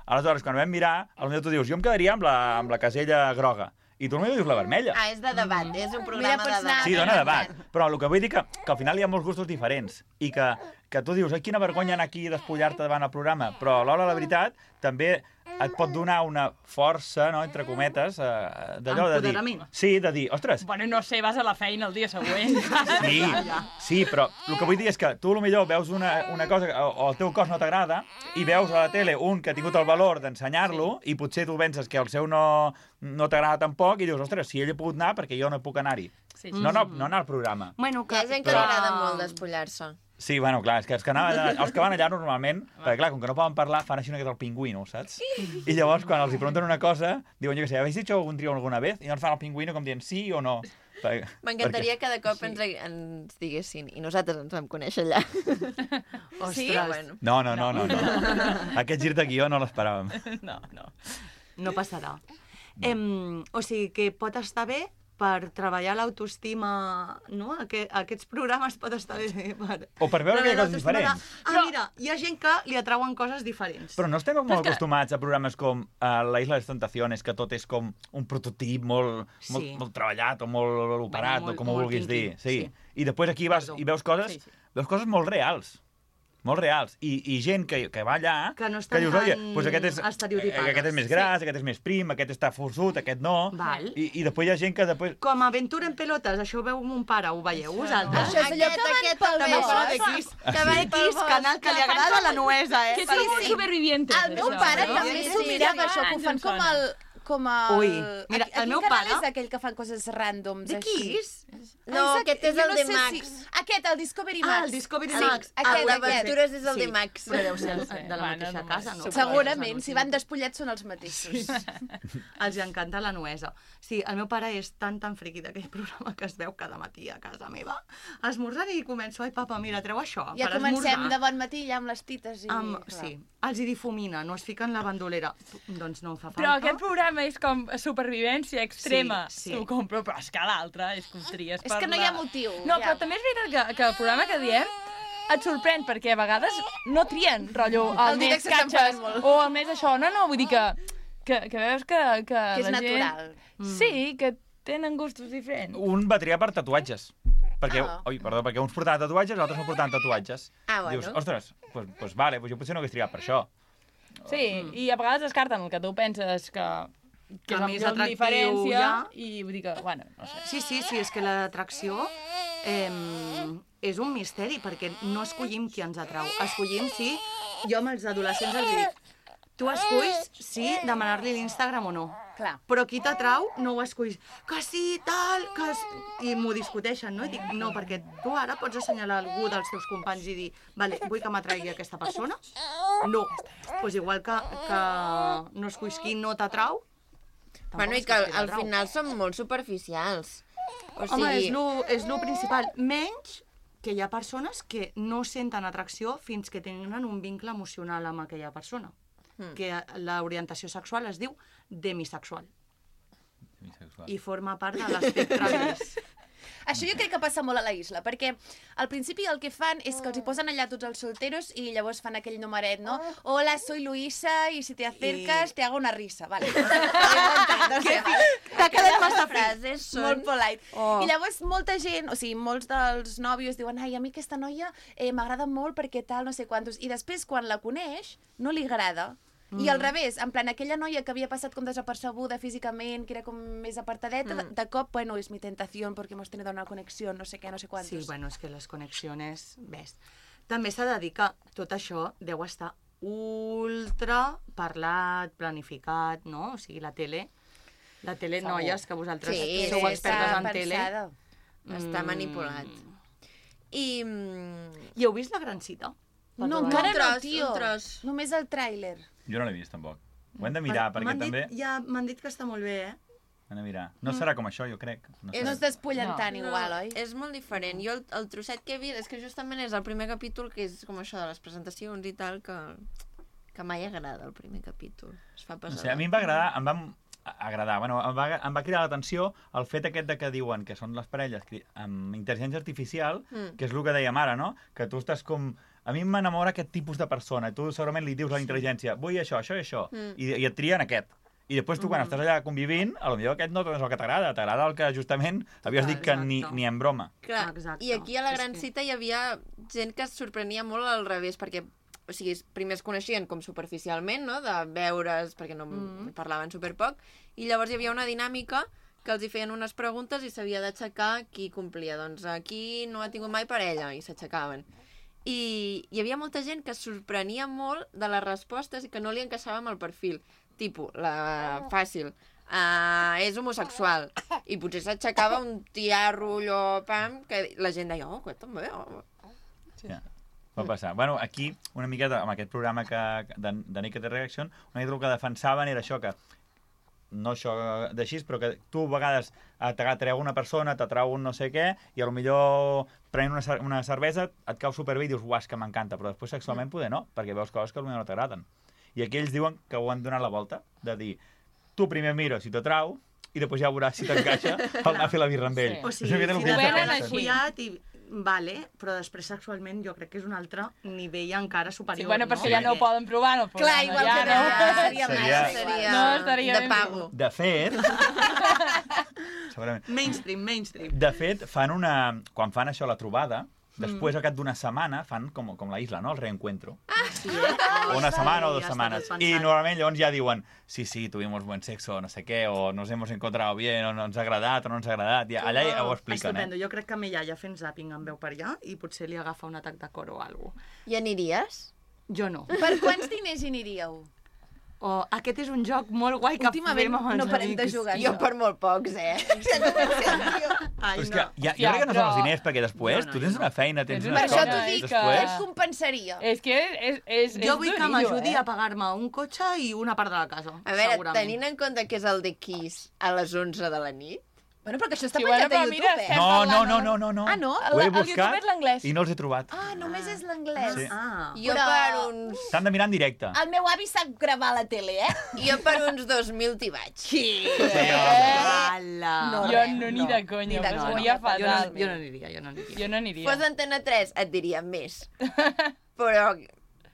Aleshores, quan ho vam mirar, potser tu dius, jo em quedaria amb la, amb la casella groga. I tu potser dius la vermella. Ah, és de debat, és un programa Mira, pots de debat. anar- Sí, dona debat. Però el que vull dir que, que al final hi ha molts gustos diferents i que, que tu dius, ai, quina vergonya anar aquí i despullar-te davant el programa, però alhora la veritat també et pot donar una força, no, entre cometes, eh, d'allò de dir... Empoderament. Sí, de dir, ostres, Bueno, no sé, vas a la feina el dia següent. sí, sí, però el que vull dir és que tu potser veus una, una cosa que- o, o el teu cos no t'agrada i veus a la tele un que ha tingut el valor d'ensenyar-lo sí. i potser tu penses que el seu no, no t'agrada tampoc i dius, ostres, si ell ha pogut anar, perquè jo no puc anar-hi. Sí, sí. No, no, no anar al programa. Bueno, Hi ha gent que li agrada molt despullar-se. Sí, bueno, clar, és que els que, anaven, els que van allà normalment, perquè clar, com que no poden parlar, fan així una mica del pingüino, saps? I llavors, quan els hi pregunten una cosa, diuen, jo què sé, ¿habéis dicho algún trío alguna vez? I llavors fan el pingüino com dient sí o no. Perquè, M'encantaria perquè... que de cop sí. ens, ens diguessin, i nosaltres ens vam conèixer allà. Ostres. Sí? Bueno. No, no, no, no, no. Aquest gir de guió no l'esperàvem. No, no. No passarà. Em, o sigui que pot estar bé per treballar l'autoestima, no? Aquest, aquests programes pot estar bé per... O per veure que hi ha coses l'autoestima diferents. De... Ah, mira, hi ha gent que li atrauen coses diferents. Però no estem molt que- acostumats a programes com uh, La Isla de les Tentaciones, que tot és com un prototip molt, Sí. molt, molt treballat o molt operat, molt- o com ho molt vulguis quinqui, dir. Sí. sí. I després aquí vas Perdó. i veus coses, Sí, sí. veus coses molt reals. Molt reals. I, i gent que, que va allà... Que no estan dius, tan oye, pues aquest és, estereotipades. aquest és més gras, aquest és més prim, aquest està forçut, aquest no. Val. I, I després hi ha gent que després... Com Aventura en pelotes, això ho veu mon pare, ho veieu vosaltres? Això és allò que van pel També bosc. parla de Kiss. Ah, Que va de sí? Kiss, canal que li agrada la nuesa, eh? Que Perquè- són supervivientes, El meu això, pare no? també Sí, s'ho sí, mirava, sí. això, que ho fan Ens en com sona. el... Com el... Ui, mira, a, a el meu quin canal pare- és aquell que fan coses randoms De així? Kiss? No, Exacte, aquest és jo el no de sé Max. Si... Aquest, el Discovery Max. Ah, el Discovery Sí, Max. Aquest, El aquest. d'aventures és el Sí. de Max. Però deu ser No sé, de la bueno, mateixa no casa, no? Segurament, si van despullats són els mateixos. Els encanta la nuesa. Sí, el meu pare és tan, tan friqui d'aquell programa que es veu cada matí a casa meva. Esmorzant i començo, ai papa, mira, treu això Ja per comencem esmorzar. de bon matí ja amb les tites i... Amb, clar. sí, els hi difumina, no es fiquen la bandolera. Doncs no em fa falta. Però aquest programa és com supervivència extrema. Sí, sí. T'ho compro, però és que l'altre és que ho tries És per que no hi la- ha motiu. No, ja. però també és veritat que, que el programa que diem et sorprèn, perquè a vegades no trien, rotllo, el, El més directe s'estan catxes, pagant molt. o el més això. No, no, vull dir que, que, que veus que, que, Que és la natural. gent... Sí, que tenen gustos diferents. Un va triar per tatuatges. Perquè, Ah. oi, perdó, perquè uns portaven tatuatges, els altres no portaven tatuatges. Ah, bueno. Dius, ostres, pues, pues vale, pues jo potser no hagués triat per això. Sí, i a vegades descarten el que tu penses que, que Que és la més millor atractiu diferència, ja. i vull dir que, bueno, no sé. Sí, sí, sí, és que l'atracció eh, és un misteri, perquè no escollim qui ens atrau. Escollim si... Jo amb els adolescents els dic, tu esculls si demanar-li l'Instagram o no. Clar. Però qui t'atrau no ho esculls. Que sí, tal, que... I m'ho discuteixen, no? I dic, no, perquè tu ara pots assenyalar algú dels teus companys i dir, vale, vull que m'atraigui aquesta persona? No. Doncs pues igual que, que no esculls qui no t'atrau, Bueno, i que al, al final són molt superficials. O sigui... Home, és lo, és lo principal. Menys que hi ha persones que no senten atracció fins que tenen un vincle emocional amb aquella persona. Mm. Que l'orientació sexual es diu demisexual. I forma part de l'espectre gris. Això jo crec que passa molt a la isla, perquè al principi el que fan és que els hi posen allà tots els solteros i llavors fan aquell numeret, no? Hola, soy Luisa y si te acercas I... te hago una risa, vale. No sé, vale. T'ha quedat massa frases són... Molt polite. Oh. I llavors molta gent, o sigui, molts dels nòvios diuen ai, a mi aquesta noia eh, m'agrada molt perquè tal, no sé quantos. I després, quan la coneix, no li agrada. I al revés, en plan, aquella noia que havia passat com desapercebuda físicament, que era com més apartadeta, mm. de cop, bueno, és mi tentació perquè hemos tenido una connexió, no sé què, no sé quantos. Sí, bueno, és que les connexions... Ves. També s'ha de dir que tot això deu estar ultra parlat, planificat, no? O sigui, la tele... La tele, Segur. noies, que vosaltres Sí, sou sí, expertes està en tele. pensada. Està Mm. manipulat. I... mm, I heu vist La Gran Cita? Per No, provar? encara Un tros, no, tio. un tros. Només el tràiler. Jo no l'he vist, tampoc. Ho hem de mirar, M'han perquè dit- també... Ja m'han dit que està molt bé, eh? Hem de mirar. No serà com això, jo crec. No, És- No es despullen No. tant igual, oi? És molt diferent. Jo el, el trosset que he vist, és que justament és el primer capítol, que és com això de les presentacions i tal, que, que mai agrada el primer capítol. Es fa no pesar. sé, a mi em va agradar, em va agradar, bueno, em va, em va cridar l'atenció el fet aquest de que diuen que són les parelles cri- amb intel·ligència artificial, Mm. que és el que dèiem ara, no? Que tu estàs com... A mi m'enamora aquest tipus de persona, i tu segurament li dius a la intel·ligència, vull això, això i això, Mm. i, i et trien aquest. I després tu, quan Mm. estàs allà convivint, a lo millor aquest no és el que t'agrada, t'agrada el que justament havies dit que ni, Exacte. ni en broma. Clar, Exacte. i aquí a la És gran que- cita hi havia gent que es sorprenia molt al revés, perquè o sigui, primer es coneixien com superficialment, no?, de veure's, perquè no Mm. parlaven superpoc, i llavors hi havia una dinàmica que els hi feien unes preguntes i s'havia d'aixecar qui complia. Doncs aquí no ha tingut mai parella, i s'aixecaven. I hi havia molta gent que es sorprenia molt de les respostes i que no li encaixava amb el perfil. Tipo, la fàcil. uh, és homosexual. I potser s'aixecava un tiarro allò, pam, que la gent deia, oh, que també, oh. Sí. Ja. Va passar. Bueno, aquí, una miqueta, amb aquest programa que, de, de Naked Reaction, una miqueta el que defensaven era això, que no això d'així, però que tu a vegades t'atreu una persona, t'atreu un no sé què, i a lo millor prenent una, una cervesa et cau superbé i dius, uah, és que m'encanta, però després sexualment poder no, perquè veus coses que potser no t'agraden. I aquí ells diuen que ho han donat la volta, de dir, tu primer mira si t'atrau, i després ja veuràs si t'encaixa el anar a fer la birra amb ell. Sí. O sigui, si no t'has follat i... Vale, però després sexualment jo crec que és un altre nivell encara superior. Sí, bueno, no? perquè ja no ho poden provar, no ho poden. Clar, igual ja, que no. seria, seria, seria, no, estaria de pago. De fet... segurament. Mainstream, mainstream. De fet, fan una... Quan fan això, la trobada, després, mm. al cap d'una setmana, fan com, com la isla, no? El reencuentro. Ah, sí, eh? O una setmana o dues ja setmanes. I normalment llavors ja diuen sí, sí, tuvimos buen sexo, no sé què, o nos hemos encontrado bien, o no ens ha agradat, o no ens ha agradat. Ja, allà ja ho expliquen, Estupendo. eh? Jo crec que a mi ja fent zàping em veu per allà i potser li agafa un atac de cor o alguna cosa. I aniries? Jo no. Per quants diners hi aniríeu? O aquest és un joc molt guai que últimament fem amb els no parem de amics. jugar. Jo per molt pocs, eh? Ai, Però és no. que ja, jo Ja, crec que no però- són els diners, perquè després No, no, tu tens no. una feina, tens Per unes Per això coses, t'ho dic, després... et compensaria. És que és, és, Jo és vull que durillo, m'ajudi eh? a pagar-me un cotxe i una part de la casa, A veure, segurament. tenint en compte que és el de Kiss a les onze de la nit, Bueno, però que això està Sí, penjat bueno, a però YouTube, mira, eh? No, no, parlant, no, no? no, no, no. Ah, no? Ho he El- el buscat YouTube és l'anglès. i no els he trobat. Ah, només és l'anglès. Sí. Ah, jo Però- per uns... T'han de mirar en directe. El meu avi sap gravar a la tele, eh? Jo per uns dos mil t'hi vaig. Sí. ala. No, Jo res, no, ni no. de Ni conya, de però conya. seria Jo no, fatal. jo no aniria, jo no aniria. Jo no aniria. Fos Antena tres et diria més. Però...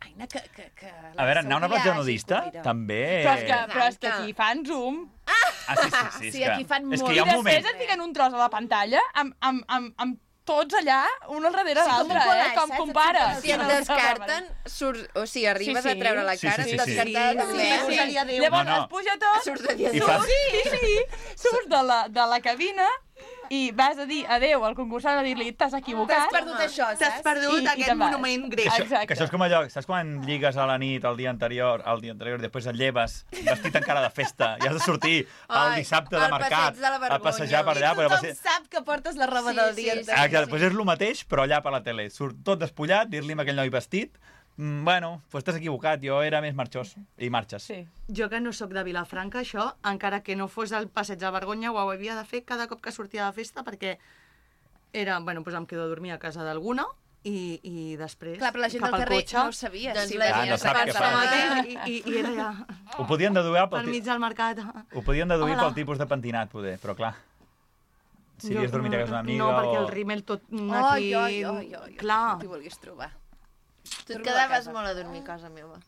Aina, que... que, que A veure, anar a una platja hagi nudista, cuida. també... Però és, que, però és que aquí fan zoom. Ah, sí, sí, sí. és Sí, aquí que- fan És molt. que hi I ha un després moment... et fiquen un tros a la pantalla amb, amb, amb, amb tots allà, un al darrere Sí, com l'altre, un collage, eh? Com saps? compares. Si et descarten, surts, o sigui, arribes Sí, sí. a treure la Sí, cara, sí, sí, et sí. descartada Sí, també. sí, sí. Seria Déu. Llavors No, no. es puja tot, Surts de dia I dos. fas- sí, sí, surts de la, de la cabina i vas a dir adeu al concursant a dir-li t'has equivocat. T'has perdut això, saps? T'has perdut I- i aquest te'n vas. monument Que grec. això, Exacte. que això és com allò, saps quan lligues a la nit el dia anterior, el dia anterior i després et lleves vestit encara de festa i has de sortir el Ai, dissabte de al mercat passeig de la a passejar per vergonya. allà. I però tothom passeig- sap que portes la roba Sí, del sí, dia sí. anterior. Ah, que després és el mateix, però allà per la tele. Surt tot despullat, dir-li a aquell noi vestit, mm, bueno, doncs t'has equivocat, jo era més marxós. I marxes. Sí. Jo que no sóc de Vilafranca, això, encara que no fos el passeig de vergonya, ho havia de fer cada cop que sortia de festa, perquè era, bueno, doncs em quedo a dormir a casa d'alguna i, i després Clar, però la gent cap del al carrer cotxe, no ho sabia. Doncs sí, la la Ah, gent no es sap què pensa fa. que- i, i, i era ja Ho podien deduir per pel, mig ti- del mercat. ho podien deduir Hola. pel tipus de pentinat, poder, però clar. Si havies dormit a casa d'una amiga No, perquè o... el rímel tot Ai, aquí... ai, ai, ai, Clar. T'hi vulguis trobar. Tu et Torno a quedaves casa. molt a dormir a casa meva.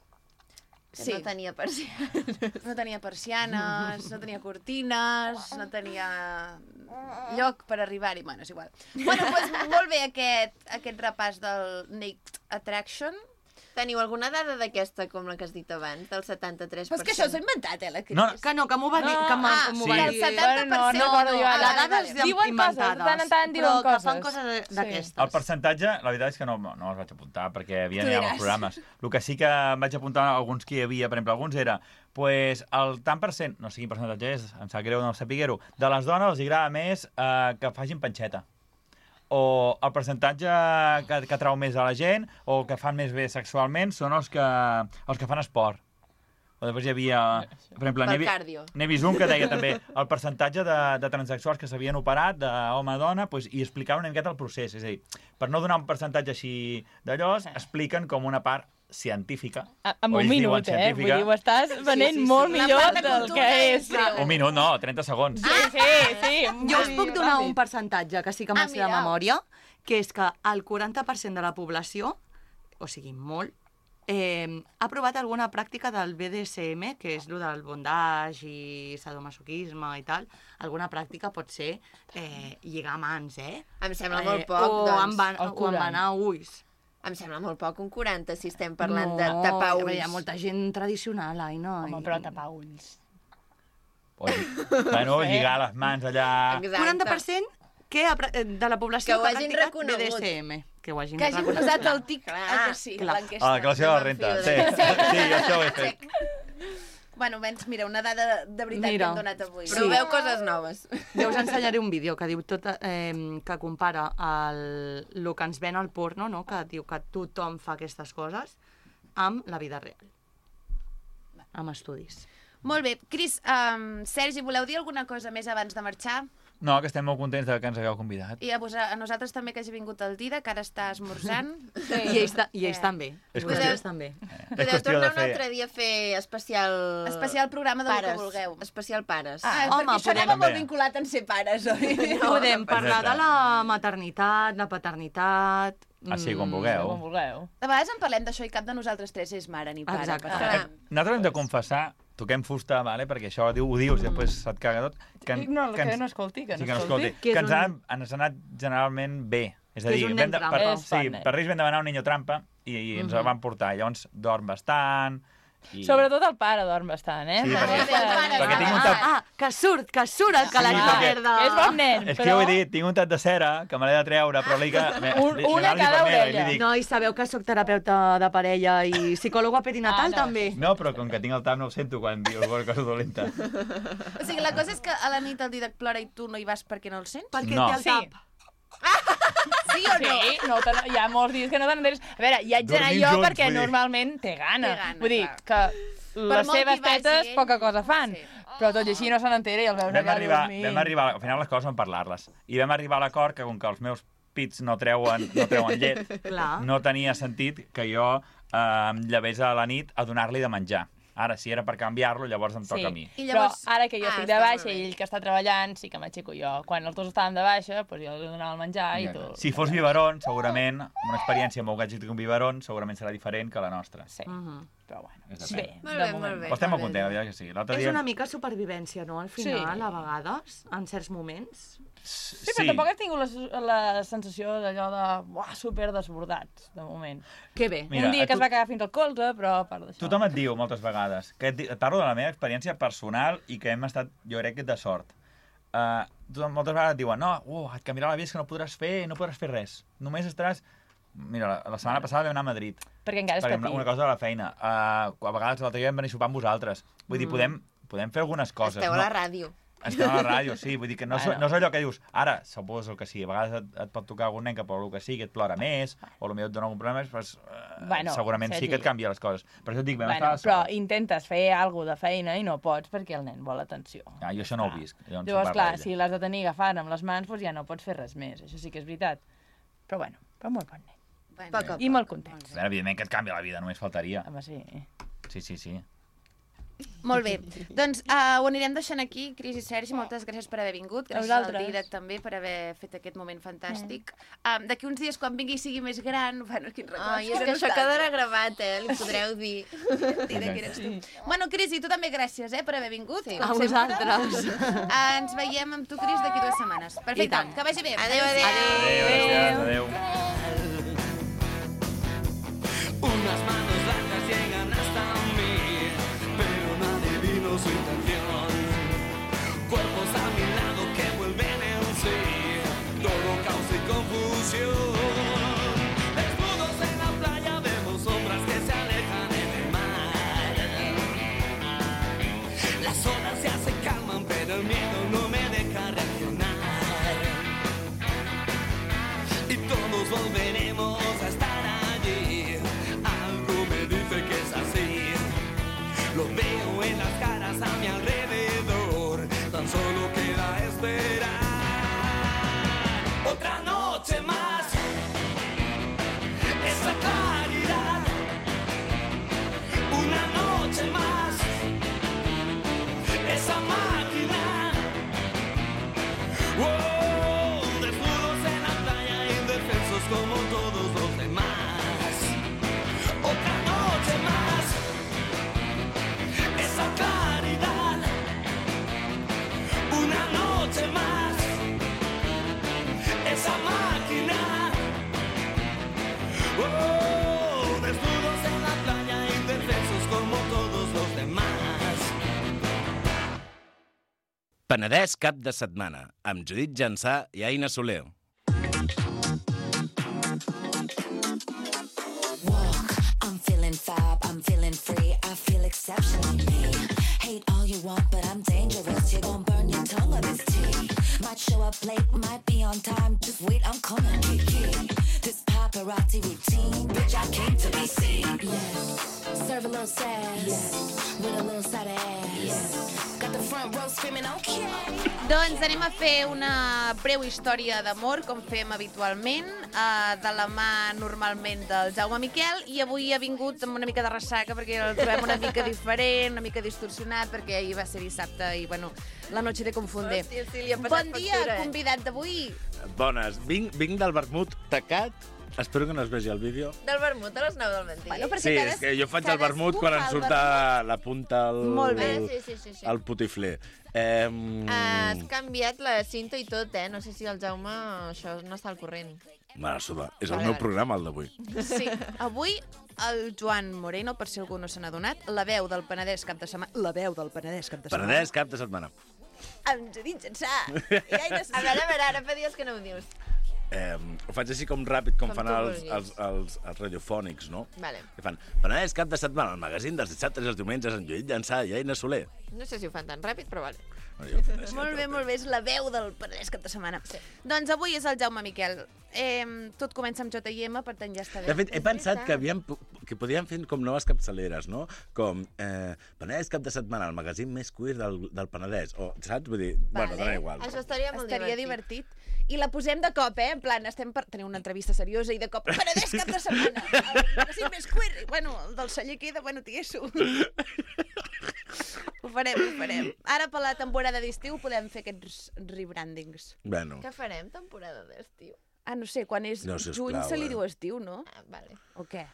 Que Sí. no tenia persianes. No tenia persianes, no tenia cortines, no tenia lloc per arribar-hi. Bueno, és igual. Bueno, doncs molt bé aquest, aquest repàs del Naked Attraction. Teniu alguna dada d'aquesta, com la que has dit abans, del setanta-tres per Però és cent? que això s'ho ha inventat, eh, la Cris? No, Que no, que m'ho va dir, No, que m'ho ah, m'ho sí. va que el dir. setanta per cent... Bueno, no recordo jo a ara. la dades Diuen coses, inventades, de tant en tant diuen però que coses. fan coses Sí. d'aquestes. El percentatge, la veritat és que no, no els vaig apuntar perquè havia Tu anat diràs. als programes. El que sí que em vaig apuntar alguns que hi havia, per exemple, alguns era pues, el tant per cent, no sé quin percentatge és, em sap greu no sapiguer-ho, de les dones els agrada més eh, que facin panxeta. O el percentatge que, que trau més a la gent o que fan més bé sexualment són els que, els que fan esport. O després hi havia, per exemple, Pel n'he vi- cardio. n'he vist un que deia també el percentatge de, de transexuals que s'havien operat d'home a dona pues, i explicava una miqueta el procés. És a dir, per no donar un percentatge així d'allò, expliquen com una part científica. A- Amb o un ells diuen minut, eh? Vull científica. dir, ho estàs venent sí, sí. molt La millor part de del cultura que és és. greu. Un minut, no, trenta segons. Sí, sí, sí. Jo us puc donar un percentatge, que sí que Ah, me'l sé de mira. memòria, que és que el quaranta per cent de la població, o sigui, molt, eh, ha provat alguna pràctica del B D S M, que és el del bondage i sadomasoquisme i tal. Alguna pràctica pot ser eh, lligar mans, eh? Em sembla eh, molt poc, o doncs. Emban El o quaranta. embanar ulls. Em sembla molt poc, un quaranta, si estem parlant no, de tapar a veure, ulls. hi ha molta gent tradicional, ai, no? Home, però tapar ulls. O, bueno, lligar les mans allà... Exacte. quaranta per cent que ha pra- eh, de la població Que ho que, ha hagin practicat reconegut. B D S M. Que ho hagin Que hagi reconegut. posat el tic Clar, ah, que sí, clar. l'enquesta. A la declaració de la renta. Sí, sí, això ho he fet. Bueno, almenys, mira, una dada de veritat Mira. que hem donat avui. Però veu coses noves. Jo us ensenyaré un vídeo que diu tot, eh, que compara el, el que ens ven al porno, no? Que diu que tothom fa aquestes coses, amb la vida real. Amb estudis. Molt bé. Cris, um, Sergi, voleu dir alguna cosa més abans de marxar? No, que estem molt contents de que ens hagueu convidat. I a, vos, a nosaltres també que hagi vingut el Dida, que ara està esmorzant. Sí. I ells, ta I ells Eh. també. És Vosaltres també. Podeu tornar un altre dia a fer especial... Especial programa del pares. que vulgueu. Especial pares. Ah, Home, perquè això anava podem- molt vinculat en ser pares, oi? No, podem parlar de la maternitat, la paternitat... Ah, sí, com mm, vulgueu. Com vulgueu. De vegades en parlem d'això i cap de nosaltres tres és mare ni pare. Exacte. per Clar. tant. Nosaltres hem de confessar, toquem fusta, vale? perquè això diu, ho dius i després se't caga tot. Que, No, que ens- no escolti, que sí, no que no escolti. escolti. Que és Que ens, un- ha, ens ha anat generalment bé. És a Que és dir, un vam nen de, trampa. per, És sí, bon nen. per Reis vam demanar un niño trampa i, i ens el van portar. Llavors dorm bastant... I... Sobretot el pare dorm bastant, eh? Sí, perquè- Aquesta- perquè tinc un Ah, tap... ah, que surt, que surt el calaix Sí, de perquè- merda. És bon nen, És que però... jo ho he dit, tinc un tat de cera que me l'he de treure, però l'he que... Un- una a cada orella. Dic, No, i sabeu que sóc terapeuta de parella i psicòloga perinatal Ah, no. també. no, però com que tinc el tap no ho sento quan diu alguna cosa dolenta. O sigui, la cosa és que a la nit el Didac plora i tu no hi vas perquè no el sents? Perquè No. té el Sí. tap. Sí o no? Sí, no te, hi ha molts dies que no te n'enteres. A veure, hi haig d'anar Dormim jo junts, perquè vull dir. normalment té gana. Té gana, Vull dir clar. que les molt seves que hi vagi tetes ell, poca cosa fan. sí. Però tot i així no se n'entera i els veus Vam allà arribar, dormint. vam arribar, al final les coses són parlar-les. I vam arribar a l'acord que com que els meus pits no treuen, no treuen llet, Clar. no tenia sentit que jo eh, em llevés a la nit a donar-li de menjar. Ara, si era per canviar-lo, llavors em toca a mi. I llavors- Però ara que jo Ah, estic de està molt baixa bé. i ell que està treballant, sí que m'aixeco jo. Quan els dos estàvem de baixa, doncs jo li donava el menjar i tu... Si fos biberon, segurament, amb una experiència amb un gadget com biberon, segurament serà diferent que la nostra. Sí, Mhm. però bueno. És de Bé, pena. Molt de bé, moment. molt bé. Però estem molt contents, la veritat que sí. L'altre És dia... una mica supervivència, no? Al final, Sí. a vegades, en certs moments. Sí, però tampoc he tingut la, la sensació d'allò de buah, super desbordats, de moment. Que bé. Mira, Un dia a que es tu- va cagar fins al colze, però a part d'això... Tothom et diu moltes vegades, que et, di- et parlo de la meva experiència personal i que hem estat, jo crec que de sort. Uh, tothom, moltes vegades et diuen, no, uh, et canviarà la vida, és que no podràs fer, no podràs fer res. Només estaràs... Mira, la, la setmana passada vam anar a Madrid. Perquè encara és Perquè petit. una cosa de la feina. Uh, a vegades l'altre dia vam venir a sopar amb vosaltres. Vull dir, podem, podem fer algunes coses. Esteu a no? la ràdio. Estem a la ràdio, sí. Vull dir que no, Bueno. és, no és allò que dius, ara, suposo que sí, a vegades et, et pot tocar algun nen que per el que sigui et plora més, o potser et dona algun problema, doncs, uh, Bueno, segurament sí Sergi. que et canvia les coses. Per això et dic, vam Bueno, estar a la però intentes fer alguna de feina i no pots perquè el nen vol atenció. Ah, jo això no ho visc. Llavors, Llavors, parla clar, d'ella. si l'has de tenir agafant amb les mans, doncs ja no pots fer res més. Això sí que és veritat. Però bueno, però molt bon nen. Bueno, Poc a I molt content. A veure, evidentment que et canvia la vida, només faltaria. Home, sí. Sí, sí, sí. Molt bé. Doncs uh, ho anirem deixant aquí, Cris i Sergi. Moltes gràcies per haver vingut. Gràcies al vosaltres. Didac també per haver fet aquest moment fantàstic. Um, D'aquí uns dies, quan vingui i sigui més gran... Bueno, quin record. Ai, és que això quedarà gravat, eh? Li podreu dir. Didac, eres tu. Bueno, Cris, i tu també gràcies eh, per haver vingut. Sí, A vosaltres. Ens veiem amb tu, Cris, d'aquí dues setmanes. Perfecte, tant. que vagi bé. Adéu, adéu. Adéu, gràcies, adéu. Unas manos largas llegan hasta mí, pero nadie vino su intención. Cuerpos a mi lado que vuelven en sí, todo caos y confusión. Desnudos en la playa vemos sombras que se alejan en el mar. Las olas ya se calman, pero el miedo no me deja reaccionar. Y todos volveremos a estar allí. Algo me dice que es así. Lo veo en las caras a mi alrededor. Tan solo queda esperar. Otra noche más. Esa claridad. Una noche más. Esa máquina. Oh, desnudos en la playa, indefensos como todos los demás. Otra noche más. Esa claridad. Una noche más. Esa máquina. Oh, desnudos en la playa, indefensos como todos los demás. Penedès cap de setmana, amb Judit Jansà i Aina Soler. Walk, I'm feeling fab, I'm feeling free, I feel exceptionally me. party routine. Bitch, I came to be seen. Yeah. Serve a little sass. Yeah. With a little side of ass. Yeah. Got the front row screaming, okay. Doncs anem a fer una breu història d'amor, com fem habitualment, eh, de la mà normalment del Jaume Miquel, i avui ha vingut amb una mica de ressaca perquè el trobem una mica diferent, una mica distorsionat, perquè ahir va ser dissabte i, bueno, la noche de confunde. Hòstia, sí, li ha passat Bon dia, factura, eh? convidat d'avui. Bones. Vinc, vinc del vermut tacat. Espero que no es vegi el vídeo. Del vermut a les nou del matí. Bueno, Sí, és que jo faig el vermut quan em surt a la punta el, Molt bé. Sí, sí, sí, sí. el putifler. Eh, Has canviat la cinta i tot, eh? No sé si el Jaume això no està al corrent. Mare suda, és el Vale, meu vale. programa, el d'avui. Sí, avui el Joan Moreno, per si algú no se n'ha donat, la veu del Penedès cap de setmana... La veu del Penedès cap de setmana. Penedès, cap de setmana. Amb Judit Jansà. I Aina A veure, a veure, ara fa dies que no ho dius. Eh, ho faig així com ràpid, com, Com fan tu els, vulguis. els, els, els radiofònics, no? Vale. Que fan Penedès, cap de setmana, el magazín dels dissabtes i els diumenges amb Lluís Llançà i Aina Soler. No sé si ho fan tan ràpid, però vale. Molt bé, molt bé, és la veu del Penedès cap de setmana. Sí. Doncs avui és el Jaume Miquel. Eh, tot comença amb J I M, per tant ja està bé. De fet, he pensat que, havíem, que podíem fer com noves capçaleres, no? Com eh, Penedès cap de setmana, el magazín més queer del, del Penedès. O, saps? Vull dir, bueno, dona igual. Això estaria molt Estaria divertit. divertit. I la posem de cop, eh? En plan, estem per tenir una entrevista seriosa i de cop, Penedès cap de setmana, el magazín més queer. I, bueno, el del celler queda, bueno, tieso. Ho farem, ho farem. Ara, per la temporada d'estiu, podem fer aquests rebrandings. Bueno. Què farem, temporada d'estiu? Ah, no sé, quan és No, sisplau, juny se li eh? diu estiu, no? Ah, vale. O què?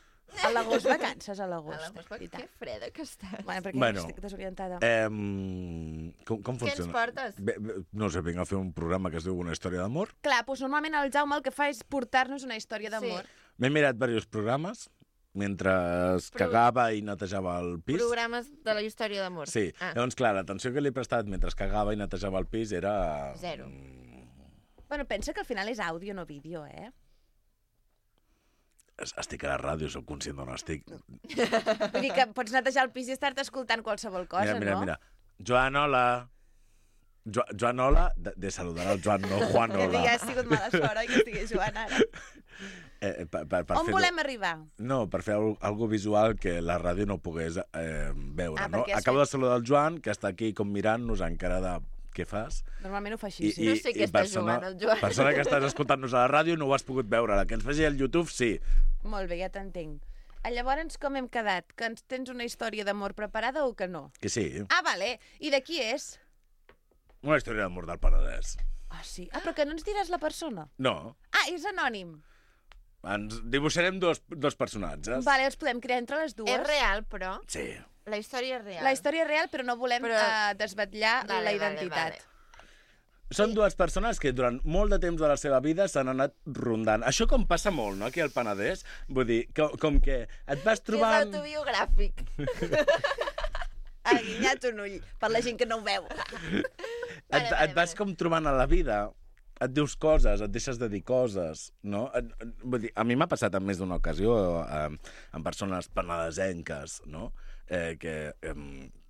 A l'agost, vacances a A l'agost. l'agost, que freda que estàs. Bueno, perquè Bueno, estic desorientada. Eh, com, com Què ens funciona? portes? Bé, bé, no sé, vinc a fer un programa que es diu Una història d'amor. Clar, doncs normalment el Jaume el que fa és portar-nos una història d'amor. Sí. M'he mirat diversos programes mentre Pro- cagava i netejava el pis. Programes de la història d'amor. Sí, Ah. llavors, clar, l'atenció que li he prestat mentre cagava i netejava el pis era... Zero. Bueno, pensa que al final és àudio, no vídeo, eh? Estic a la ràdio, sóc conscient d'on estic. Vull dir que pots netejar el pis i estar-te escoltant qualsevol cosa, Mira, mira, no? mira. Joan, hola. Jo, Joan, hola. De, de saludar el Joan, no Juan, Que hola. ja ha sigut mala sort, oi, que estigués Joan ara. Eh, per, per, per On fer-ho- volem arribar? No, per fer al- algo visual que la ràdio no pogués eh, veure, Ah, no? perquè has Acabo fet- de saludar el Joan, que està aquí com mirant-nos encara de què fas. Normalment ho fa així, sí. No sé què està jugant, el Joan. persona que estàs escoltant-nos a la ràdio no ho has pogut veure. La que ens faci al YouTube, sí. Molt bé, ja t'entenc. Ah, llavors, com hem quedat? Que ens tens una història d'amor preparada o que no? Que sí. Ah, vale. I de qui és? Una història d'amor del Penedès. Ah, sí. Ah, però que no ens diràs la persona. No. Ah, és anònim. Ens dibuixarem dos, dos personatges. Vale, els podem crear entre les dues. És real, però. Sí. La història és real. La història és real, però no volem Però- eh, desvetllar Vale, la vale, identitat. vale. Són dues persones que durant molt de temps de la seva vida s'han anat rondant. Això com passa molt, no?, aquí al Penedès. Vull dir, com, com que et vas És trobant... autobiogràfic. Ha guinyat un ull, per la gent que no ho veu. Et, et vas com trobant a la vida, et dius coses, et deixes de dir coses, no? Et, et, vull dir, a mi m'ha passat en més d'una ocasió eh, amb persones penedesenques, no?, eh, que eh,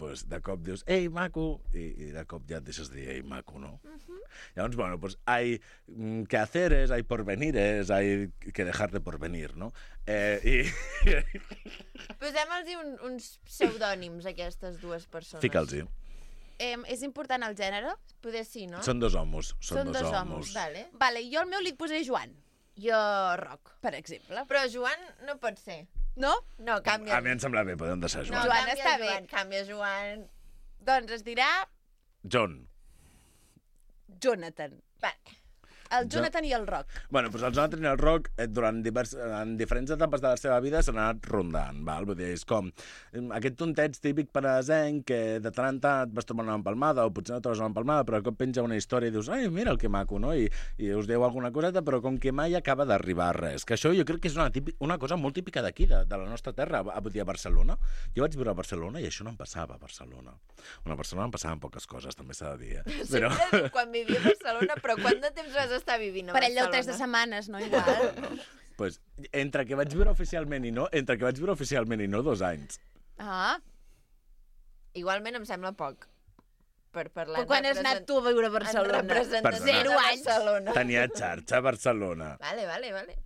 pues, de cop dius, ei, maco, i, i de cop ja et deixes de dir, ei, maco, no? Uh -huh. Llavors, bueno, pues hay mm, quehaceres, hay porvenires, hay que dejar de porvenir, no? Eh, i... Posem-los un, uns pseudònims, aquestes dues persones. Fica'ls-hi. Eh, és important el gènere? Poder sí, no? Són dos homos. Són, Són dos, dos homos. Vale. Vale, jo el meu li posaré Joan. Jo, Roc. Per exemple. Però Joan no pot ser. No? No, canvia. A mi em sembla bé, podem deixar No, Joan. Joan canvia està bé. Joan, canvia Joan. Doncs es dirà John. Jonathan. Vale. El Jonathan i el Roc. Bueno, doncs el Jonathan i el Roc, eh, durant divers, en diferents etapes de la seva vida, s'han anat rondant, val? Vull dir, és com eh, aquest tonteig típic penedesenc que de tant en tant et vas trobar una empalmada, o potser no trobes una empalmada, però de cop penja una història i dius, ai, mira el que maco, no? I, i us diu alguna coseta, però com que mai acaba d'arribar a res. Que això jo crec que és una, típic, una cosa molt típica d'aquí, de, de la nostra terra, a, a, a Barcelona. Jo vaig viure a Barcelona i això no em passava a Barcelona. Una Barcelona em passaven poques coses, també s'ha de dir, eh? Però... Sempre dic quan vivia a Barcelona, però quant de temps vas estar vivint a Per ell Barcelona? el tres de setmanes, no? Igual. pues, entre que vaig viure oficialment i no, entre que vaig viure oficialment i no, dos anys. Ah. Igualment em sembla poc. Per parlar Però quan has anat tu a viure a Barcelona? En representació Perdona. de Barcelona. Tenia xarxa a Barcelona. Vale, vale, vale.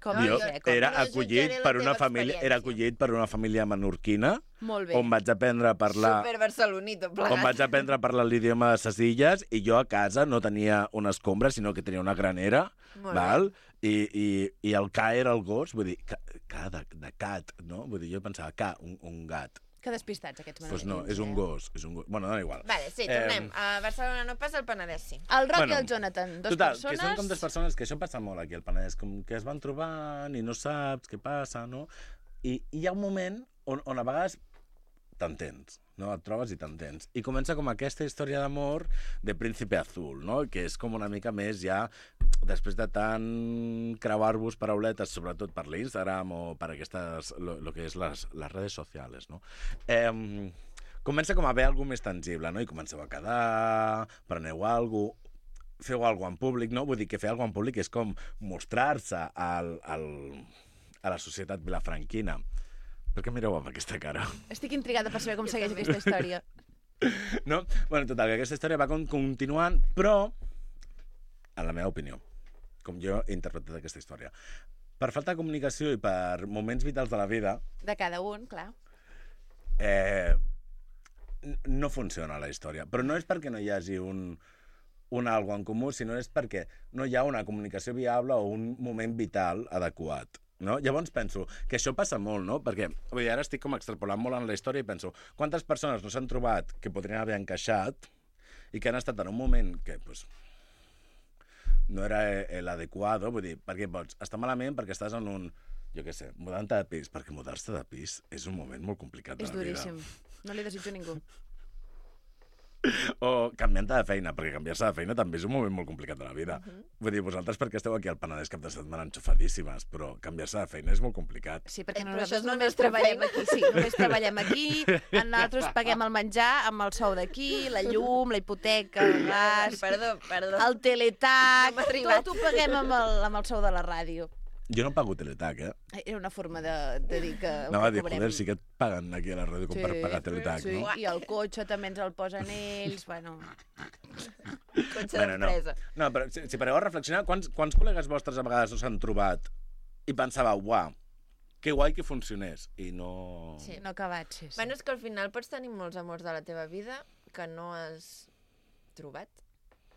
Com jo no, com era no acollit jutjaré la per una teva família, era experiència. acollit per una família menorquina, Molt bé. on vaig aprendre a parlar... Super barcelonito, On plegat. vaig aprendre a parlar l'idioma de ses illes i jo a casa no tenia una escombra, sinó que tenia una granera, Molt val? I, i, i el ca era el gos, vull dir, ca, ca de, de cat, no? Vull dir, jo pensava, ca, un, un gat. Que despistats, aquests Doncs pues no, menorquins, és un eh? gos, és un gos. Bueno, dona igual. Vale, sí, tornem. A Barcelona no passa, el Penedès sí. El Roc Bueno, i el Jonathan, dos Total, persones... que són com dues persones, que això passa molt aquí al Penedès, com que es van trobant i no saps què passa, no? I, i hi ha un moment on, on a vegades t'entens, no? Et trobes i t'entens. I comença com aquesta història d'amor de Príncipe Azul, no? Que és com una mica més ja, després de tant creuar-vos parauletes, sobretot per l'Instagram o per aquestes, lo, lo que és les, les redes socials, no? Eh, comença com a haver alguna més tangible, no? I comenceu a quedar, preneu alguna cosa, feu alguna en públic, no? Vull dir que fer alguna en públic és com mostrar-se al, al, a la societat vilafranquina. Per què mireu amb aquesta cara? Estic intrigada per saber com segueix aquesta història. No? Bueno, total, que aquesta història va con continuant, però, en la meva opinió, com jo he interpretat aquesta història, per falta de comunicació i per moments vitals de la vida, De cada un, clar. eh, no funciona la història. Però no és perquè no hi hagi un, un algo en comú, sinó és perquè no hi ha una comunicació viable o un moment vital adequat. No? Llavors penso que això passa molt, no? Perquè vull dir, ara estic com extrapolant molt en la història i penso quantes persones no s'han trobat que podrien haver encaixat i que han estat en un moment que pues, no era l'adequat, vull dir, perquè pots estar malament perquè estàs en un, jo què sé, mudant-te de pis, perquè mudar-se de pis és un moment molt complicat de És la vida. duríssim. No li desitjo a ningú. O canviant-te de feina, perquè canviar-se de feina també és un moment molt complicat de la vida. Uh -huh. Vull dir, vosaltres perquè esteu aquí al Penedès cap de setmana enxufadíssimes, però canviar-se de feina és molt complicat. Sí, perquè Eh, però nosaltres això és la només nostra treballem feina. aquí, sí, només treballem aquí, nosaltres paguem el menjar amb el sou d'aquí, la llum, la hipoteca, el gas, Perdó, perdó. el teletac, No m'ha arribat. tot ho paguem amb el, amb el sou de la ràdio. Jo no pago teletac, eh? Era una forma de, de dir que... No, va que dir, cobrem. joder, sí que et paguen aquí a la ràdio com per pagar teletac, sí, no? i el cotxe també ens el posen ells, bueno... Cotxe Bueno, no. d'empresa. No, però si, si pareu a reflexionar, quants, quants col·legues vostres a vegades us han trobat i pensàveu, uau, que guai que funcionés, i no... Sí. No acabat, sí, sí. Bueno, és que al final pots tenir molts amors de la teva vida que no has trobat.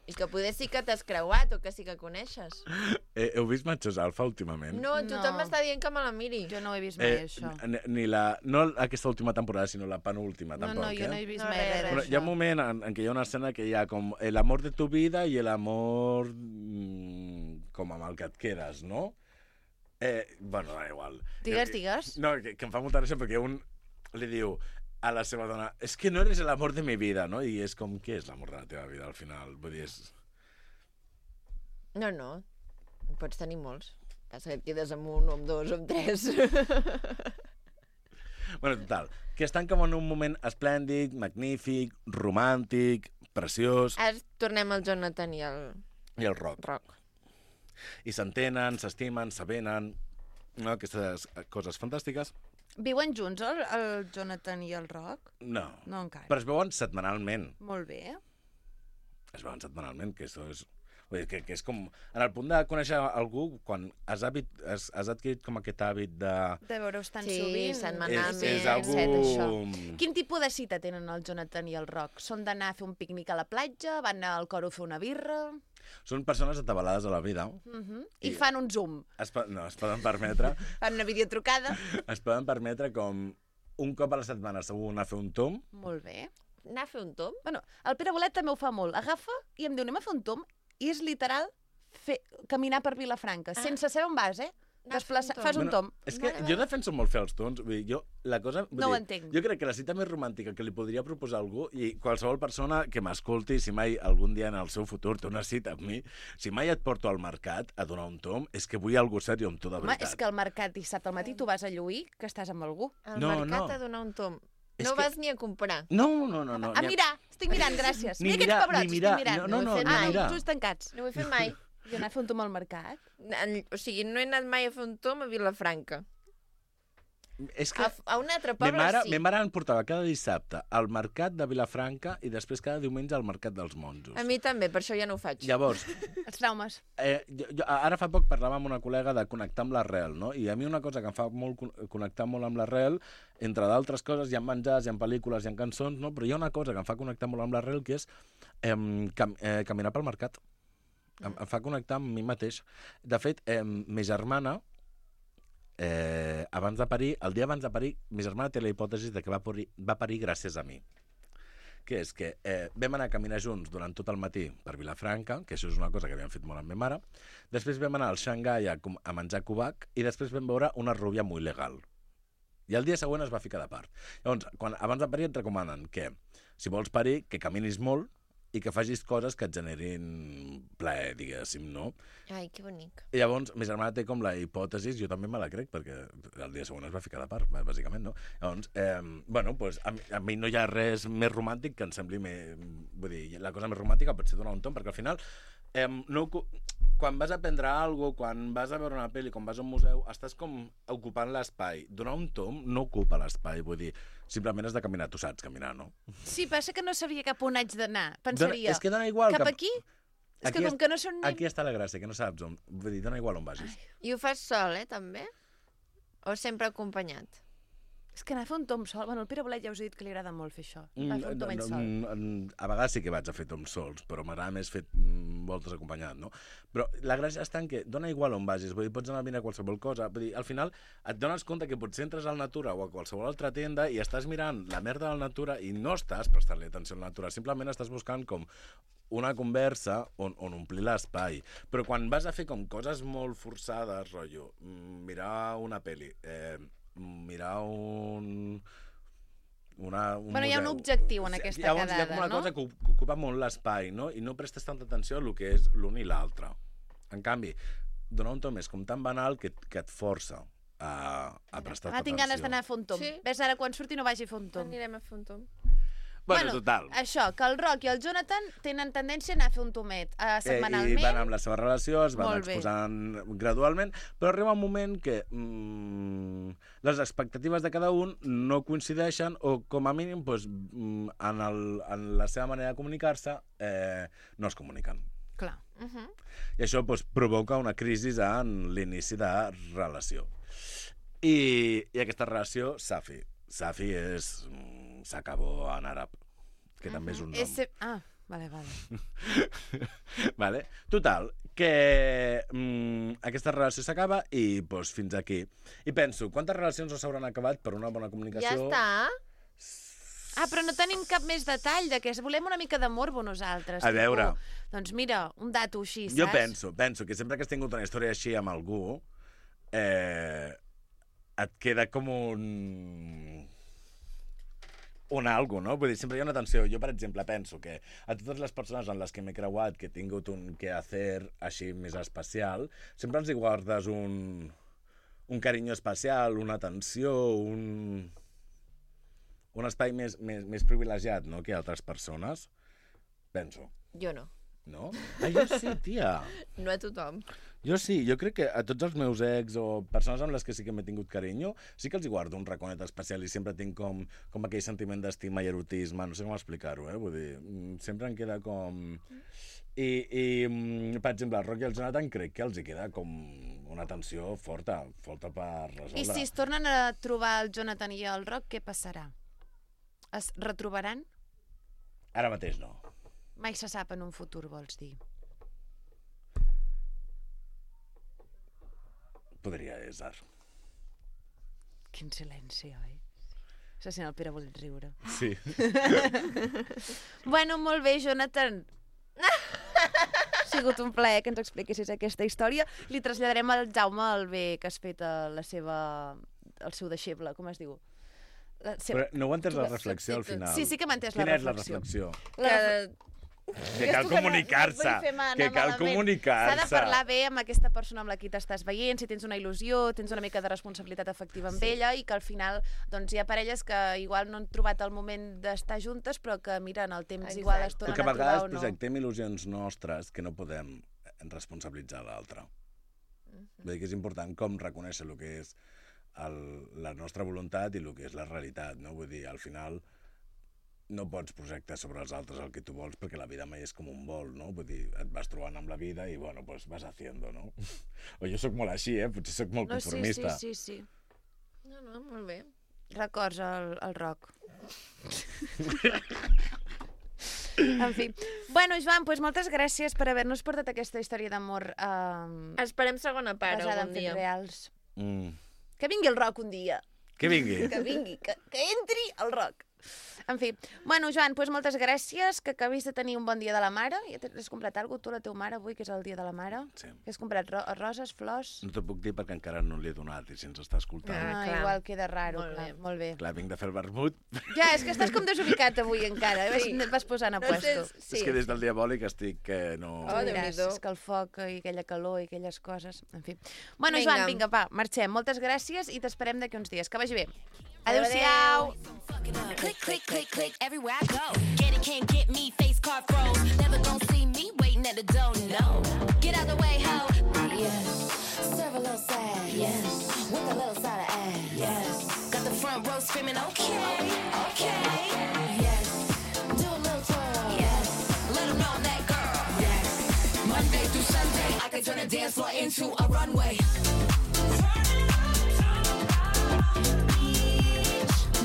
I que poder sí que t'has creuat o que sí que coneixes. Eh, heu vist Machos Alfa últimament? No, tothom No. m'està dient que me la miri. Jo no ho he vist mai, Eh, això. n- ni la, no aquesta última temporada, sinó la penúltima, No, tampoc, no, jo eh? no he vist No, mai res, res res. Però d'això. hi ha un moment en, en què hi ha una escena que hi ha com el amor de tu vida i el amor mm, com amb el que et quedes, no? Eh, bueno, da igual. Digues, Eh, digues. No, que, que em fa molta gràcia perquè un li diu a la seva dona, és que no eres el amor de mi vida, no? I és com, què és l'amor de la teva vida, al final? Vull dir, és... No, no. En pots tenir molts. Passa que et quedes amb un, o amb dos, o amb tres. Bueno, total, que estan com en un moment esplèndid, magnífic, romàntic, preciós, Ara tornem al Jonathan i al i el rock. Roc. I s'entenen, s'estimen, s'avenen, no? Aquestes coses fantàstiques. Viuen junts el, el Jonathan i el Roc? No. No encara. Però es veuen setmanalment. Molt bé. Es veuen setmanalment, que això és... Vull dir, que, que és com... En el punt de conèixer algú, quan has, hàbit, has, has adquirit com aquest hàbit de... De veure-us tan Sí, sovint. setmanalment. És, és algú... etcètera, això. Quin tipus de cita tenen el Jonathan i el Roc? Són d'anar a fer un pícnic a la platja? Van anar al coro a fer una birra? Són persones atabalades a la vida. Uh -huh. I, I- fan un zoom. Es, po- no, es poden permetre... Fan una videotrucada. es poden permetre com un cop a la setmana segur anar a fer un tom. Molt bé. Anar a fer un tom? Bueno, el Pere Bolet també ho fa molt. Agafa i em diu, anem a fer un tom, i és literal fer, caminar per Vilafranca, ah. sense saber on vas, eh? Desplaça... Fas un tom. És que jo defenso molt fer els tons. Vull dir, jo, la cosa, vull No ho dir, entenc. Jo crec que la cita més romàntica que li podria proposar a algú, i qualsevol persona que m'escolti, si mai algun dia en el seu futur té una cita amb mi, si mai et porto al mercat a donar un tom, és que vull algú seriós amb tu de Home, veritat. és que al mercat dissabte al matí tu vas a lluir que estàs amb algú. Al No, mercat no. a donar un tom. És No que- vas ni a comprar. No, no, no. no A ni mirar, estic mirant, gràcies. Ni Mira mirar, aquests pebrots, ni mirar. estic mirant. No, no, no, ah, ni no, mirar. els ulls tancats. No ho he fet mai. Jo anar a fer un tom al mercat. En- O sigui, no he anat mai a fer un tom a Vilafranca. És que A, a un altre ma poble mare, sí. ma mare em portava cada dissabte al mercat de Vilafranca i després cada diumenge al mercat dels monjos. A mi també, per això ja no ho faig. Llavors, Els traumes. eh, jo, jo, ara fa poc parlava amb una col·lega de connectar amb l'arrel, no? I a mi una cosa que em fa molt con- connectar molt amb l'arrel, entre d'altres coses, hi ha menjars, hi ha pel·lícules, hi ha cançons, no? Però hi ha una cosa que em fa connectar molt amb l'arrel, que és eh, cam eh, caminar pel mercat. Em, em fa connectar amb mi mateix. De fet, eh, ma germana, eh, abans de parir, el dia abans de parir, ma germana té la hipòtesi de que va parir, va parir gràcies a mi. Que és que eh, vam anar a caminar junts durant tot el matí per Vilafranca, que això és una cosa que havíem fet molt amb ma mare, després vam anar al Xangai a, com- a menjar cubac i després vam veure una rubia molt legal. I el dia següent es va ficar de part. Llavors, quan, abans de parir et recomanen que, si vols parir, que caminis molt i que facis coses que et generin plaer, diguéssim, no? Ai, que bonic. I llavors, ma germana té com la hipòtesi, jo també me la crec, perquè el dia següent es va ficar de part, bàsicament, no? Llavors, eh, bueno, pues, a, mi, a mi no hi ha res més romàntic que em sembli més... Vull dir, la cosa més romàntica pot ser donar un tom, perquè al final, eh, no, quan vas a aprendre alguna cosa, quan vas a veure una pel·li, quan vas a un museu, estàs com ocupant l'espai. Donar un tom no ocupa l'espai, vull dir, simplement has de caminar, tu saps caminar, no? Sí, passa que no sabria cap on haig d'anar. Pensaria, Dona, és que dona igual. cap que... aquí? És Aquí que com est- que no són ni... Aquí està la gràcia, que no saps on... Vull dir, dona igual on vagis. I ho fas sol, eh, també? O sempre acompanyat? És que anar a fer un tom sol... Bueno, el Pere Bolet ja us he dit que li agrada molt fer això. Va Mm, fer un no, tom ell no, sol. mm, a vegades sí que vaig a fer toms sols, però m'agrada més fer mm, voltes acompanyat, no? Però la gràcia està en que dona igual on vagis, vull dir, pots anar a mirar qualsevol cosa, vull dir, al final et dones compte que potser entres al Natura o a qualsevol altra tenda i estàs mirant la merda del Natura i no estàs prestant-li atenció al Natura, simplement estàs buscant com una conversa on, on omplir l'espai. Però quan vas a fer com coses molt forçades, rotllo, mm, mirar una pel·li, eh, mirar un... Una, un Bueno, hi ha un museu. objectiu en aquesta Llavors, quedada, hi ha com una no? cosa que, que ocupa molt l'espai, no? I no prestes tanta atenció a lo que és l'un i l'altre. En canvi, donar un tom és com tan banal que, que et força a, a prestar Ah, atenció. tinc ganes d'anar a fer un tom. Sí. Ves ara quan surti no vagi a fer un tom. Anirem a fer un tom. Bueno, total. Això, que el Roc i el Jonathan tenen tendència a anar a fer un tomet uh, Eh, setmanalment. I van amb la seva relació, es van Molt bé. exposant gradualment, però arriba un moment que mm, les expectatives de cada un no coincideixen o, com a mínim, doncs, mm, en, el, en la seva manera de comunicar-se, eh, no es comuniquen. Clar. Uh -huh. I això doncs, provoca una crisi en l'inici de relació. I, i aquesta relació, Safi. Safi és... mm, s'acabó en àrab, que també és un nom. Ese... Ah, vale, vale. Vale? Total, que mm, aquesta relació s'acaba i doncs, fins aquí. I penso, quantes relacions no s'hauran acabat per una bona comunicació? Ja està. Ah, però no tenim cap més detall de que volem una mica de morbo nosaltres. A tipus, veure. Doncs mira, un dato així, saps? Jo penso, penso que sempre que has tingut una història així amb algú, eh, et queda com un... un algo, no? Vull dir, sempre hi ha una tensió. Jo, per exemple, penso que a totes les persones en les que m'he creuat, que he tingut un quehacer així més especial, sempre ens hi guardes un, un carinyo especial, una atenció, un, un espai més, més, més privilegiat, no?, que altres persones. Penso. Jo no. No? Ah, jo sí, tia. No a tothom. Jo sí, jo crec que a tots els meus ex o persones amb les que sí que m'he tingut carinyo, sí que els hi guardo un raconet especial i sempre tinc com, com aquell sentiment d'estima i erotisme, no sé com explicar-ho, eh? Vull dir, mm, sempre em queda com... I, i mm, per exemple, el Roc i el Jonathan crec que els hi queda com una tensió forta, forta per resoldre. I si es tornen a trobar el Jonathan i el Roc, què passarà? Es retrobaran? Ara mateix no. Mai se sap en un futur, vols dir? Podria ésser. Quin silenci, oi? Se sent el Pere voler riure. Sí. Bueno, molt bé, Jonathan. Ha sigut un plaer que ens expliquessis aquesta història. Li traslladarem al Jaume el bé que has fet a la seva... el seu deixeble, com es diu? La seva... Però no ho he entès la reflexió al final. Sí, sí que m'ha entès la Quina reflexió. és la reflexió? La... Que... Que cal comunicar-se, que cal comunicar-se. S'ha de parlar bé amb aquesta persona amb la qui t'estàs veient, si tens una il·lusió, tens una mica de responsabilitat afectiva amb Sí. ella, i que al final doncs, hi ha parelles que igual no han trobat el moment d'estar juntes, però que, mira, en el temps Exacte. igual es O tornen que a a vegades trobar o no. projectem il·lusions nostres que no podem responsabilitzar l'altre. Vull dir que és important com reconèixer el que és el, la nostra voluntat i el que és la realitat, no? Vull dir, al final no pots projectar sobre els altres el que tu vols perquè la vida mai és com un vol, no? Vull dir, et vas trobant amb la vida i, bueno, pues vas haciendo, no? O jo sóc molt així, eh? Potser sóc molt conformista. No, sí, sí, sí, sí. No, no, molt bé. Records al, al rock. En fi. Bueno, Joan, doncs moltes gràcies per haver-nos portat aquesta història d'amor eh, Esperem segona part basada algun en dia. fets reals. Mm. Que vingui el rock un dia. Que vingui. Que vingui, que, que entri el rock. En fi. Bueno, Joan, doncs moltes gràcies, que acabis de tenir un bon dia de la mare. Ja has comprat alguna cosa, tu, la teva mare, avui, que és el dia de la mare? Sí. Que has comprat ro roses, flors? No t'ho puc dir perquè encara no l'he donat i si ens està escoltant... Ah, clar. igual queda raro. Molt Clar, bé. molt bé. Clar, vinc de fer el vermut. Ja, és que estàs com desubicat avui encara. Sí. Vas, vas posant a No puesto. sé, Sí. És que des del diabòlic estic que no... Oh, Diràs, Déu-n'hi-do. és que el foc i aquella calor i aquelles coses, en fi. Bueno, Vinga. Joan, vinga, va, marxem. Moltes gràcies i t'esperem d'aquí uns dies. Que vagi bé. Adéu-siau. Adéu-siau. Click, click, click, click, everywhere I go. Get it, can't get me, face card froze. Never gonna see me waiting at the door, no. Get out the way, ho. Yes. Serve a little sad, yes. With a little side of ass, yes. Got the front row screaming, okay, okay. Yes. Do a little twirl, yes. Let them know that girl, yes. Monday through Sunday, I can turn a dance floor into a runway.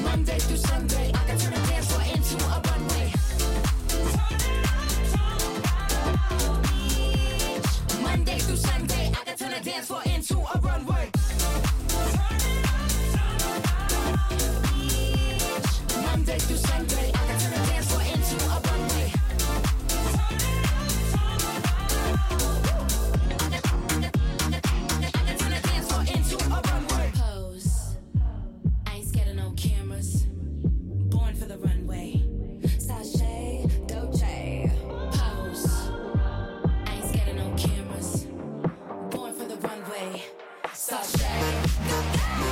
Monday through Sunday, I can turn a dance floor into a runway. Monday through Sunday, I can turn a dance floor into a runway. Monday through Sunday, I can turn a dance floor into a runway. I can turn a dance floor into a runway. Pose. I ain't scared of no cameras. Born for the runway. Sashay, Dolce. Pose. I ain't scared of no cameras. Born for the runway. Sashay.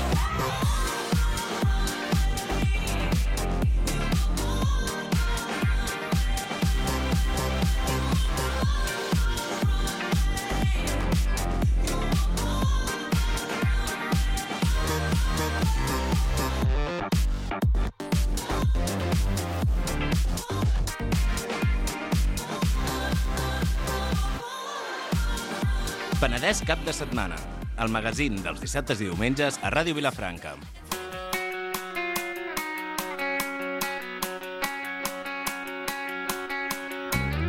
Penedès cap de setmana, el magazín dels dissabtes i diumenges a Ràdio Vilafranca.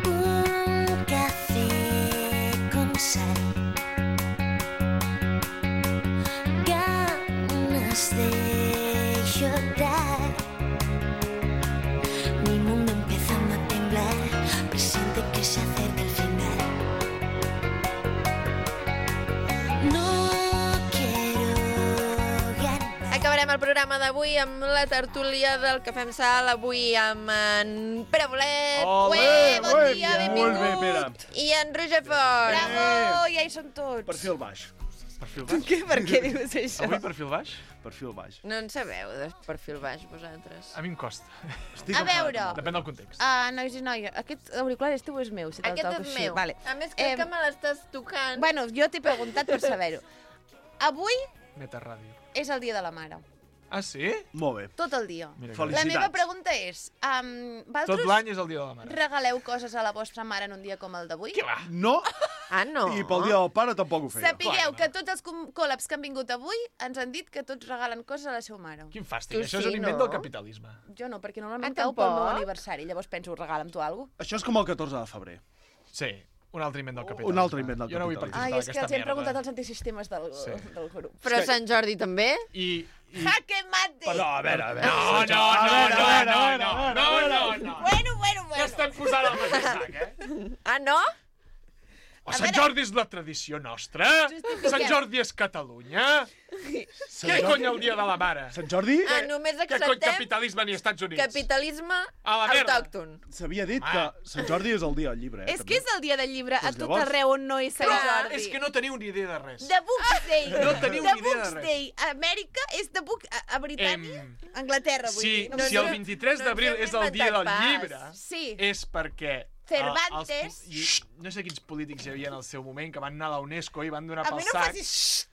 Un café con sal. Ganas de llorar. Mi mundo empezando a temblar. Presiente que se acerca el final. No quiero ganar. Acabarem el programa d'avui amb la tertúlia del Cafè amb Sal, avui amb en Pere Bolet. Ole, Ué, bon ué, dia, molt bé, benvingut. I en Roger Fort. Bravo, ja hi són tots. Perfil baix. Perfil baix. Què? Per què dius això? Avui perfil baix? Perfil baix. No en sabeu de perfil baix, vosaltres. A mi em costa. Estic A veure. Depèn del context. Ah, nois i noies, aquest auricular és teu o és meu? Si te'l Aquest toco és així? meu. Vale. A més, crec Em, que me l'estàs tocant. Bueno, jo t'he preguntat per saber-ho. Avui Metarràdio. és el dia de la mare. Ah, sí? Molt bé. Tot el dia. Mira que La bé. meva pregunta és, um, Tot vosaltres l'any és el dia de la mare. regaleu coses a la vostra mare en un dia com el d'avui? Què va? No. Ah, no? I pel dia del pare tampoc ho feia. Sapigueu que tots els com- col·labs que han vingut avui ens han dit que tots regalen coses a la seva mare. Quin fàstic. Tu Això és sí, un invent no? del capitalisme. Jo no, perquè normalment Ah, cau pel meu tampoc? aniversari. Llavors penso, regala'm tu alguna cosa. Això és com el catorze de febrer. Sí, un altre invent del capitalisme. Un altre invent del Jo no vull capitalisme. participar Ai, és que d'aquesta els hem merda. preguntat als antisistemes del, Sí. del grup. Però Sant Jordi també? I... Jaque mate! Però, a veure, a veure... No, no, no, no, no, no, no, no, no, no. Bueno, bueno, bueno. Ja estem posant el mateix sac, eh? Ah, no? O Sant Jordi és la tradició nostra? Justifiquem. Sant Jordi és Catalunya? Què cony el dia de la mare? Sant Jordi? Ah, només Què cony acceptem capitalisme ni Estats Units? capitalisme A la merda. autòcton. S'havia dit que Sant Jordi és el dia del llibre, eh? És que és el dia del llibre a Doncs tot llavors- arreu on no és Sant Però Jordi. és que no teniu ni idea de res. The Books Day. No teniu The ni idea de Books res. Day. A Amèrica és The Book... A, a Britània? Em, Anglaterra, vull Si, dir. No si sé. el vint-i-tres no ens d'abril hem és el dia inventat del pas. llibre, Sí. és perquè Cervantes... Ah, els, i, no sé quins polítics hi havia en el seu moment que van anar a la UNESCO i van donar A pel mi no sac. facis...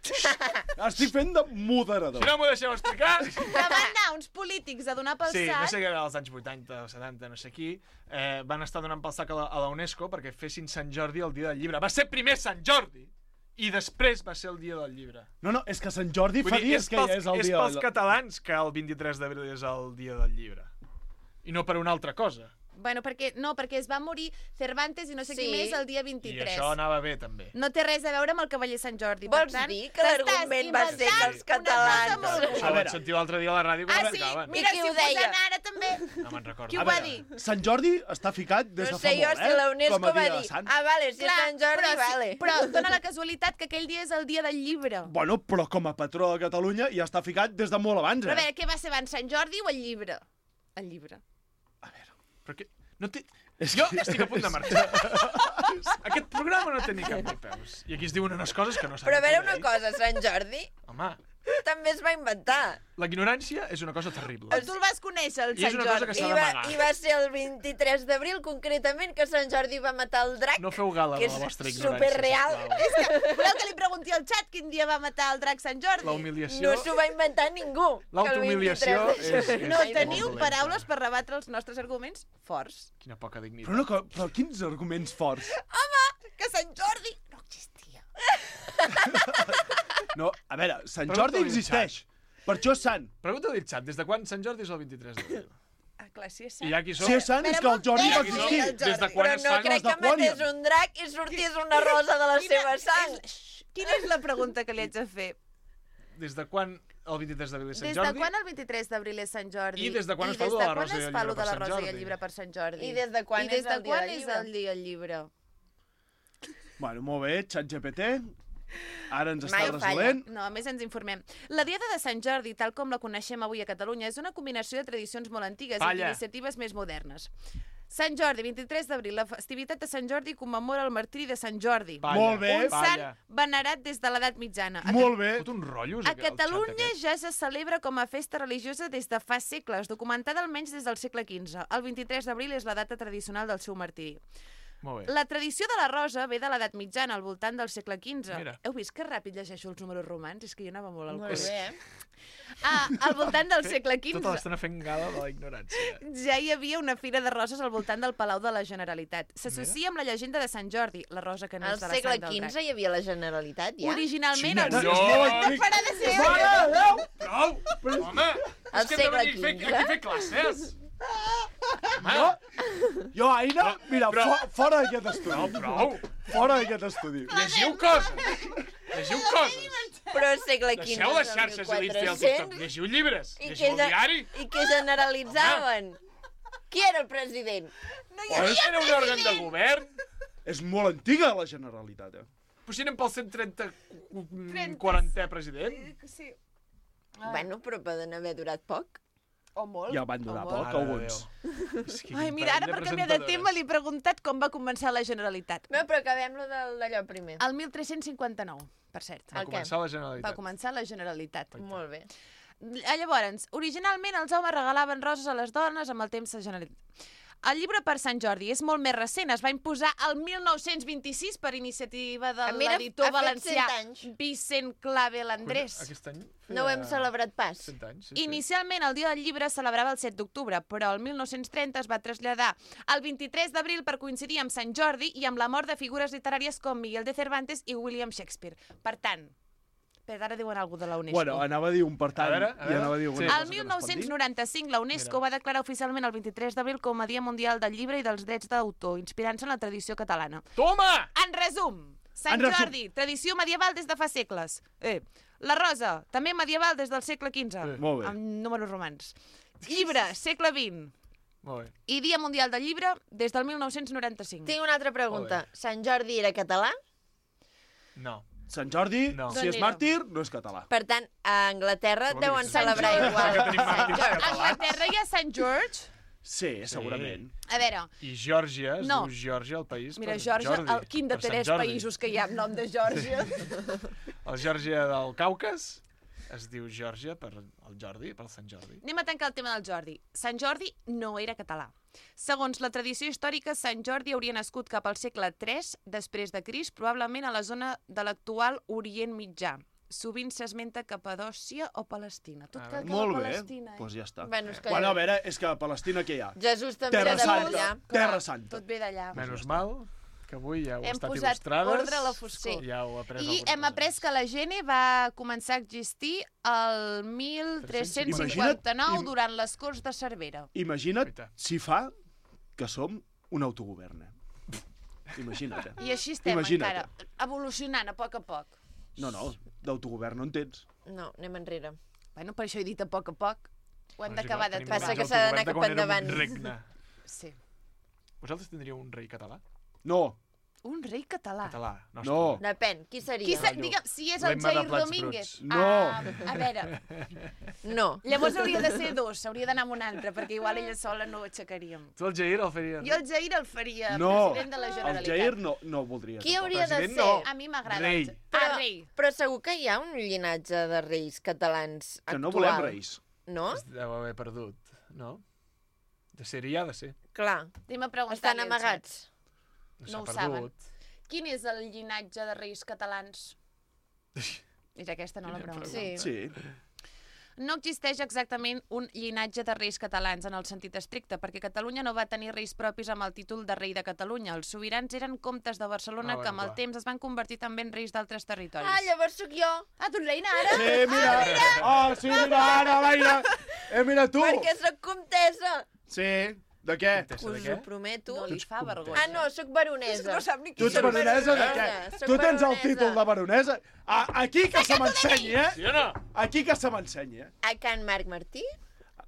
Estic fent de moderador. Si no m'ho deixeu explicar... Que van anar uns polítics a donar pel Sí, sac... no sé què era als anys vuitanta o setanta, no sé qui, eh, van estar donant pel sac a la, a la UNESCO perquè fessin Sant Jordi el dia del llibre. Va ser primer Sant Jordi i després va ser el dia del llibre. No, no, és que Sant Jordi Vull fa dir, dies és que pels, ja és el és dia... pels catalans que el vint-i-tres d'abril és el dia del llibre. I no per una altra cosa. Bueno, perquè, no, perquè es va morir Cervantes i no sé Sí. qui més el dia I vint-i-tres. això anava bé, també. No té res a veure amb el cavaller Sant Jordi. Vols per tant, dir que l'argument va ser que els catalans... Això ho vaig sentir l'altre dia a la ràdio quan Ah, ho sí? explicaven. Mira, I qui si ho ho deia? posen ara també. No me'n recordo. Qui ho A va veure, dir? Sant Jordi està ficat des No de sé fa jo molt, si eh? la UNESCO Com a va dia de dir, Sant. ah, vale, si Clar, és Sant Jordi, però, sí, vale. però dona la casualitat que aquell dia és el dia del llibre. Bueno, però com a patró de Catalunya ja està ficat des de molt abans, Però a eh? veure, què va ser abans, Sant Jordi o el llibre? El llibre. Però que... No té... Jo estic a punt de marxar. Aquest programa no té ni cap ni peus. I aquí es diuen unes coses que no s'han Però a veure de una dir. cosa, Sant Jordi Home, també es va inventar. la ignorància és una cosa terrible. Tu el vas conèixer, el I és Sant una cosa que Jordi. s'ha I va, d'amagar. I va ser el vint-i-tres d'abril, concretament, que Sant Jordi va matar el drac, No feu gala que de la és vostra ignorància, superreal. sisplau. És que, voleu que li pregunti al xat quin dia va matar el drac Sant Jordi? La humiliació... No s'ho va inventar ningú. L'autohumiliació que el vint-i-tres de és- juny. No és teniu molt dolenta. paraules per rebatre els nostres arguments forts. Quina poca dignitat. Però, no, que- però quins arguments forts? Home, que Sant Jordi no existia. No, a veure, Sant Pregunta-li Jordi al existeix. Per això és sant. Pregunta-li al xat, des de quan Sant Jordi és el vint-i-tres d'abril? Ah, clar, si és I ja qui som? Si és sant és que el Jordi va Qui som? existir. Des de quan Però es no fan crec els que de matés Quònion? un drac i sortís una rosa de la seva sang. Quina és la pregunta que li haig de fer? Des de quan el vint-i-tres d'abril és Sant Des Jordi? de quan el vint-i-tres d'abril és Sant Jordi? I des de quan es fa des lo de la quan rosa i es el fa llibre lo de per la Sant rosa i el Jordi? llibre per Sant Jordi? I des de quan I des és de el dia quan del és llibre? el dia del llibre? Bueno, molt bé, ChatGPT. Ara ens està Mai falla. resolent. No, a més ens informem. La Diada de Sant Jordi, tal com la coneixem avui a Catalunya, és una combinació de tradicions molt antigues Falla. i iniciatives més modernes. Sant Jordi, vint-i-tres d'abril, la festivitat de Sant Jordi commemora el martiri de Sant Jordi. Falla. Molt bé. Un sant Falla. venerat des de l'edat mitjana. A Molt bé. Fot un rotllo, A Catalunya ja se celebra com a festa religiosa des de fa segles, documentada almenys des del segle quinze. El vint-i-tres d'abril és la data tradicional del seu martiri. Molt bé. La tradició de la rosa ve de l'edat mitjana, al voltant del segle quinze. Mira. Heu vist que ràpid llegeixo els números romans? És que jo anava molt al Molt cul. bé, eh? Ah, al voltant del segle Tota quinze l'estona fent gala de la ignorància. ja hi havia una fira de roses al voltant del Palau de la Generalitat. S'associa amb la llegenda de Sant Jordi, la rosa que Al neix de la segle sang del quinze drac. hi havia la Generalitat, ja? Originalment... Xina, els... no, No, No para de ser... Prou! Home, Al és que hem de segle venir a fer- quinze. aquí a fer classes. Home, Jo, jo Aina, mira, però- fo fora d'aquest estudi. Prou, prou. Fora d'aquest estudi. Llegiu coses. Llegiu coses. Però al segle quinze Deixeu les és el xarxes i l'Insta i el TikTok. mil quatre-cents. Llegiu llibres. I Llegiu el ge- diari. I que generalitzaven. Qui era el president? No hi Oh, havia era un òrgan de govern. És molt antiga, la Generalitat, eh? Però si anem pel cent trenta quarantè president. Sí. Bueno, però poden haver durat poc. O molt. Ja van durar o poc, molt. alguns. És que Ai, quin mira, ara parell per canviar de presentadores. tema li he preguntat com va començar la Generalitat. No, però acabem-lo del- d'allò primer. El tretze cinquanta-nou, per cert. Va El què? començar la Va Generalitat. començar la Generalitat. Molt bé. Ah, Llavors, originalment els homes regalaven roses a les dones amb el temps de Generalitat. El llibre per Sant Jordi és molt més recent, es va imposar el mil nou-cents vint-i-sis per iniciativa de Ah, mira, l'editor ha fet valencià cent anys. Vicent Clavel Andrés. Aquest any No ho hem feia celebrat pas. cent anys. Sí, sí. Inicialment el dia del llibre es celebrava el set d'octubre, però el mil nou-cents trenta es va traslladar al vint-i-tres d'abril per coincidir amb Sant Jordi i amb la mort de figures literàries com Miguel de Cervantes i William Shakespeare. Per tant, però ara diuen alguna cosa de la UNESCO. Bueno, anava a dir un per tant, A veure, a i veure. anava a dir alguna Sí. cosa El que no es mil pot nou-cents dir. noranta-cinc la UNESCO Mira. va declarar oficialment el vint-i-tres d'abril com a Dia Mundial del Llibre i dels Drets d'autor, inspirant-se en la tradició catalana. Toma! En resum, Sant En resum. Jordi, tradició medieval des de fa segles. Eh. La rosa, també medieval des del segle quinze, Eh. Molt bé. amb números romans. Llibre, segle vint. Molt bé. I Dia Mundial del Llibre des del mil nou-cents noranta-cinc. Tinc una altra pregunta. Sant Jordi era català? No. Sant Jordi, No. si és Doncs màrtir, no és català. Per tant, a Anglaterra Què vol dir deuen que Sant celebrar Jordi? igual. Que tenim Sant màrtirs Jordi. A catalans. Anglaterra hi ha Sant George. Sí, segurament. A veure, I Geòrgia, es No. diu Geòrgia, el país, mira, per Georgia, Jordi, el, quin de per Sant tres Jordi. països que hi ha amb nom de Georgia. El Geòrgia del Caucas es diu Geòrgia per el Jordi, per Sant Jordi. Anem a tancar el tema del Jordi. Sant Jordi no era català. Segons la tradició històrica, Sant Jordi hauria nascut cap al segle tres després de Crist, probablement a la zona de l'actual Orient Mitjà. Sovint s'esmenta Capadòcia o Palestina. Tot cal que Molt la bé, Palestina. doncs ja està. Bueno, és que- Bueno, a veure, és que a Palestina què hi ha? Jesús també Terra era de Santa. allà. Terra Santa. Tot ve d'allà. Menys mal que avui ja heu Hem estat posat il·lustrades. ordre a la foscor. Ja heu après I hem après que la Gene va començar a existir el mil tres-cents cinquanta-nou Imagina't- durant les Corts de Cervera. Imagina't si fa que som un autogovern. eh? Imagina't. eh? I així estem Imagina't, encara, evolucionant a poc a poc. No, no, d'autogovern no en tens. No, anem enrere. Bueno, per això he dit a poc a poc. Ho hem Doncs d'acabar igual, de tenim trobar. Passa que menys s'ha d'anar autogovern de cap quan érem endavant. un regne. Sí. Vosaltres tindríeu un rei català? No. Un rei català. Català, nostre. No. Depèn, qui seria? Qui sa, digue'm, si és el L'Emma de Jair Plats Domínguez. Bruts. No. Ah, a veure, No. llavors hauria de ser dos, hauria d'anar amb un altre, perquè igual ella sola no ho aixecaríem. Tu el Jair el faries? Jo el Jair el faria No, president de la el Generalitat. Jair no, no ho voldria. Qui tampoc. hauria de President ser? no. A mi m'agrada. Rei. el Ja- Però, Ah, rei. però segur que hi ha un llinatge de reis catalans Que actual. no volem reis. No? Es deu haver perdut, no? De ser hi ha de ser. Clar. Anem a preguntar-li Estan al amagats. No S'ha ho saben. perdut. Quin és el llinatge de reis catalans? És aquesta, no la pregunta. Sí. Sí. No existeix exactament un llinatge de reis catalans en el sentit estricte, perquè Catalunya no va tenir reis propis amb el títol de rei de Catalunya. Els sobirans eren comtes de Barcelona Ah, bueno, que amb el clar. temps es van convertir també en reis d'altres territoris. Ah, llavors sóc jo. Ah, tu ets reina ara? Sí, mira. Ah, sí, mira, ara, Laia. Eh, mira tu. Perquè sóc comtessa. Sí. De què? Comtessa de Us què? ho prometo. No li fa vergonya. Ah, no, sóc baronesa. No sap ni Tu ets baronesa de què? Soc Tu tens el baronesa. títol de baronesa? A, aquí que se m'ensenyi, eh? Sí o no? Aquí que se m'ensenyi, eh? A Can Marc Martí,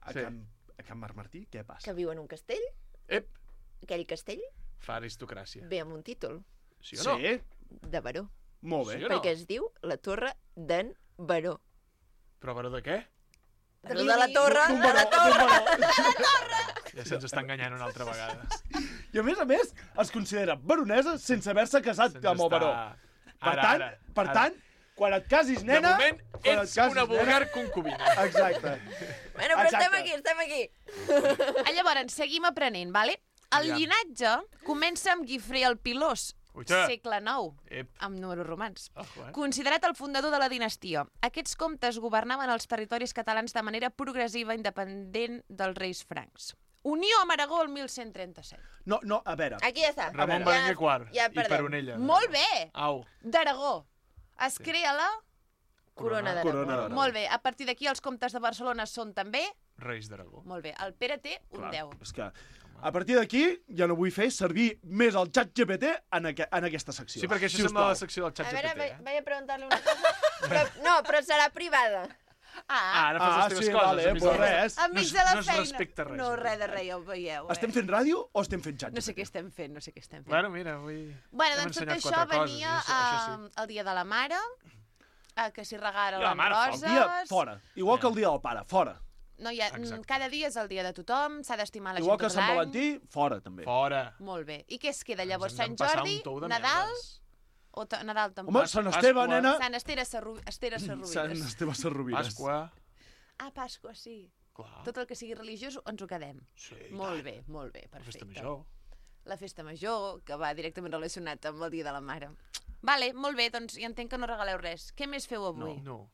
A, Sí. Can, a Can Marc Martí, què passa? que viu en un castell. Ep, Aquell castell fa aristocràcia. ve amb un títol Sí o no? Sí, de baró. molt bé. Sí o no? Perquè es diu la Torre d'en Baró. Però baró de què? Baró de la Torre, D'un de la baró, Torre. d'un baró. Ja se'ns està enganyant una altra vegada. I a més a més, es considera baronesa sense haver-se casat Se'ns amb el baró. està- Per Ara, tant, ara, per ara. tant, quan et casis, De nena... moment, quan et ets casis, una vulgar nena- concubina. Exacte. Bueno, però Exacte. estem aquí, estem aquí. Ah, llavors, seguim aprenent, vale? El Aviam. llinatge comença amb Guifré el Pilós, Uita. segle nou, Ep. amb números romans. Ojo, eh? Considerat el fundador de la dinastia. Aquests comtes governaven els territoris catalans de manera progressiva independent dels reis francs. Unió amb Aragó el mil cent trenta-set. No, no, a veure. Aquí ja està. Ramon Ja- Berenguer quart ja i perdem. Peronella. Molt bé! Au. D'Aragó. Es crea la... Corona Corona d'Aragó. d'Aragó. Molt bé. A partir d'aquí els comtes de Barcelona són també... Reis d'Aragó. Molt bé. El Pere té un Clar, deu. és que a partir d'aquí ja no vull fer servir més el xat G P T en, aqu en aquesta secció. Sí, perquè això Si us sembla plau. la secció del xat A G veure, P T, vaig, eh? vaig a preguntar-li una cosa. Però, no, però serà privada. Ah, Ah, ara fas Ah, les teves sí, coses. vale, enmig pues de- res. enmig no de la no es feina. respecta res. No, res de res, ja ho veieu. Eh? Estem fent ràdio o estem fent xat? No sé què estem fent, no sé què estem fent. Bueno, mira, avui... Bueno, hem doncs tot ensenyat això quatre coses, venia això- això eh, el dia de la mare, eh, que s'hi regaren I la les mare, el roses... El dia fora. Igual que el dia del pare, fora. No hi ha, Exacte. cada dia és el dia de tothom, s'ha d'estimar la Igual gent que tot Sant l'any. Valentí, fora també. Fora. Molt bé. I què es queda llavors? Ens hem Sant de passar Jordi, un tou de Nadal merdes. o ta- Nadal tampoc? Home, Sant Esteve, Pasqua. nena. Sant Esteve Sarru... Esteve Sarruïdes. Sant Esteve Sarrovires. Pasqua. Ah, Pasqua, sí. Clar. Tot el que sigui religiós ens ho quedem. Sí, Molt bé, molt bé, La festa perfecte. major. La festa major, que va directament relacionat amb el dia de la mare. Vale, molt bé, doncs ja entenc que no regaleu res. Què més feu avui? No.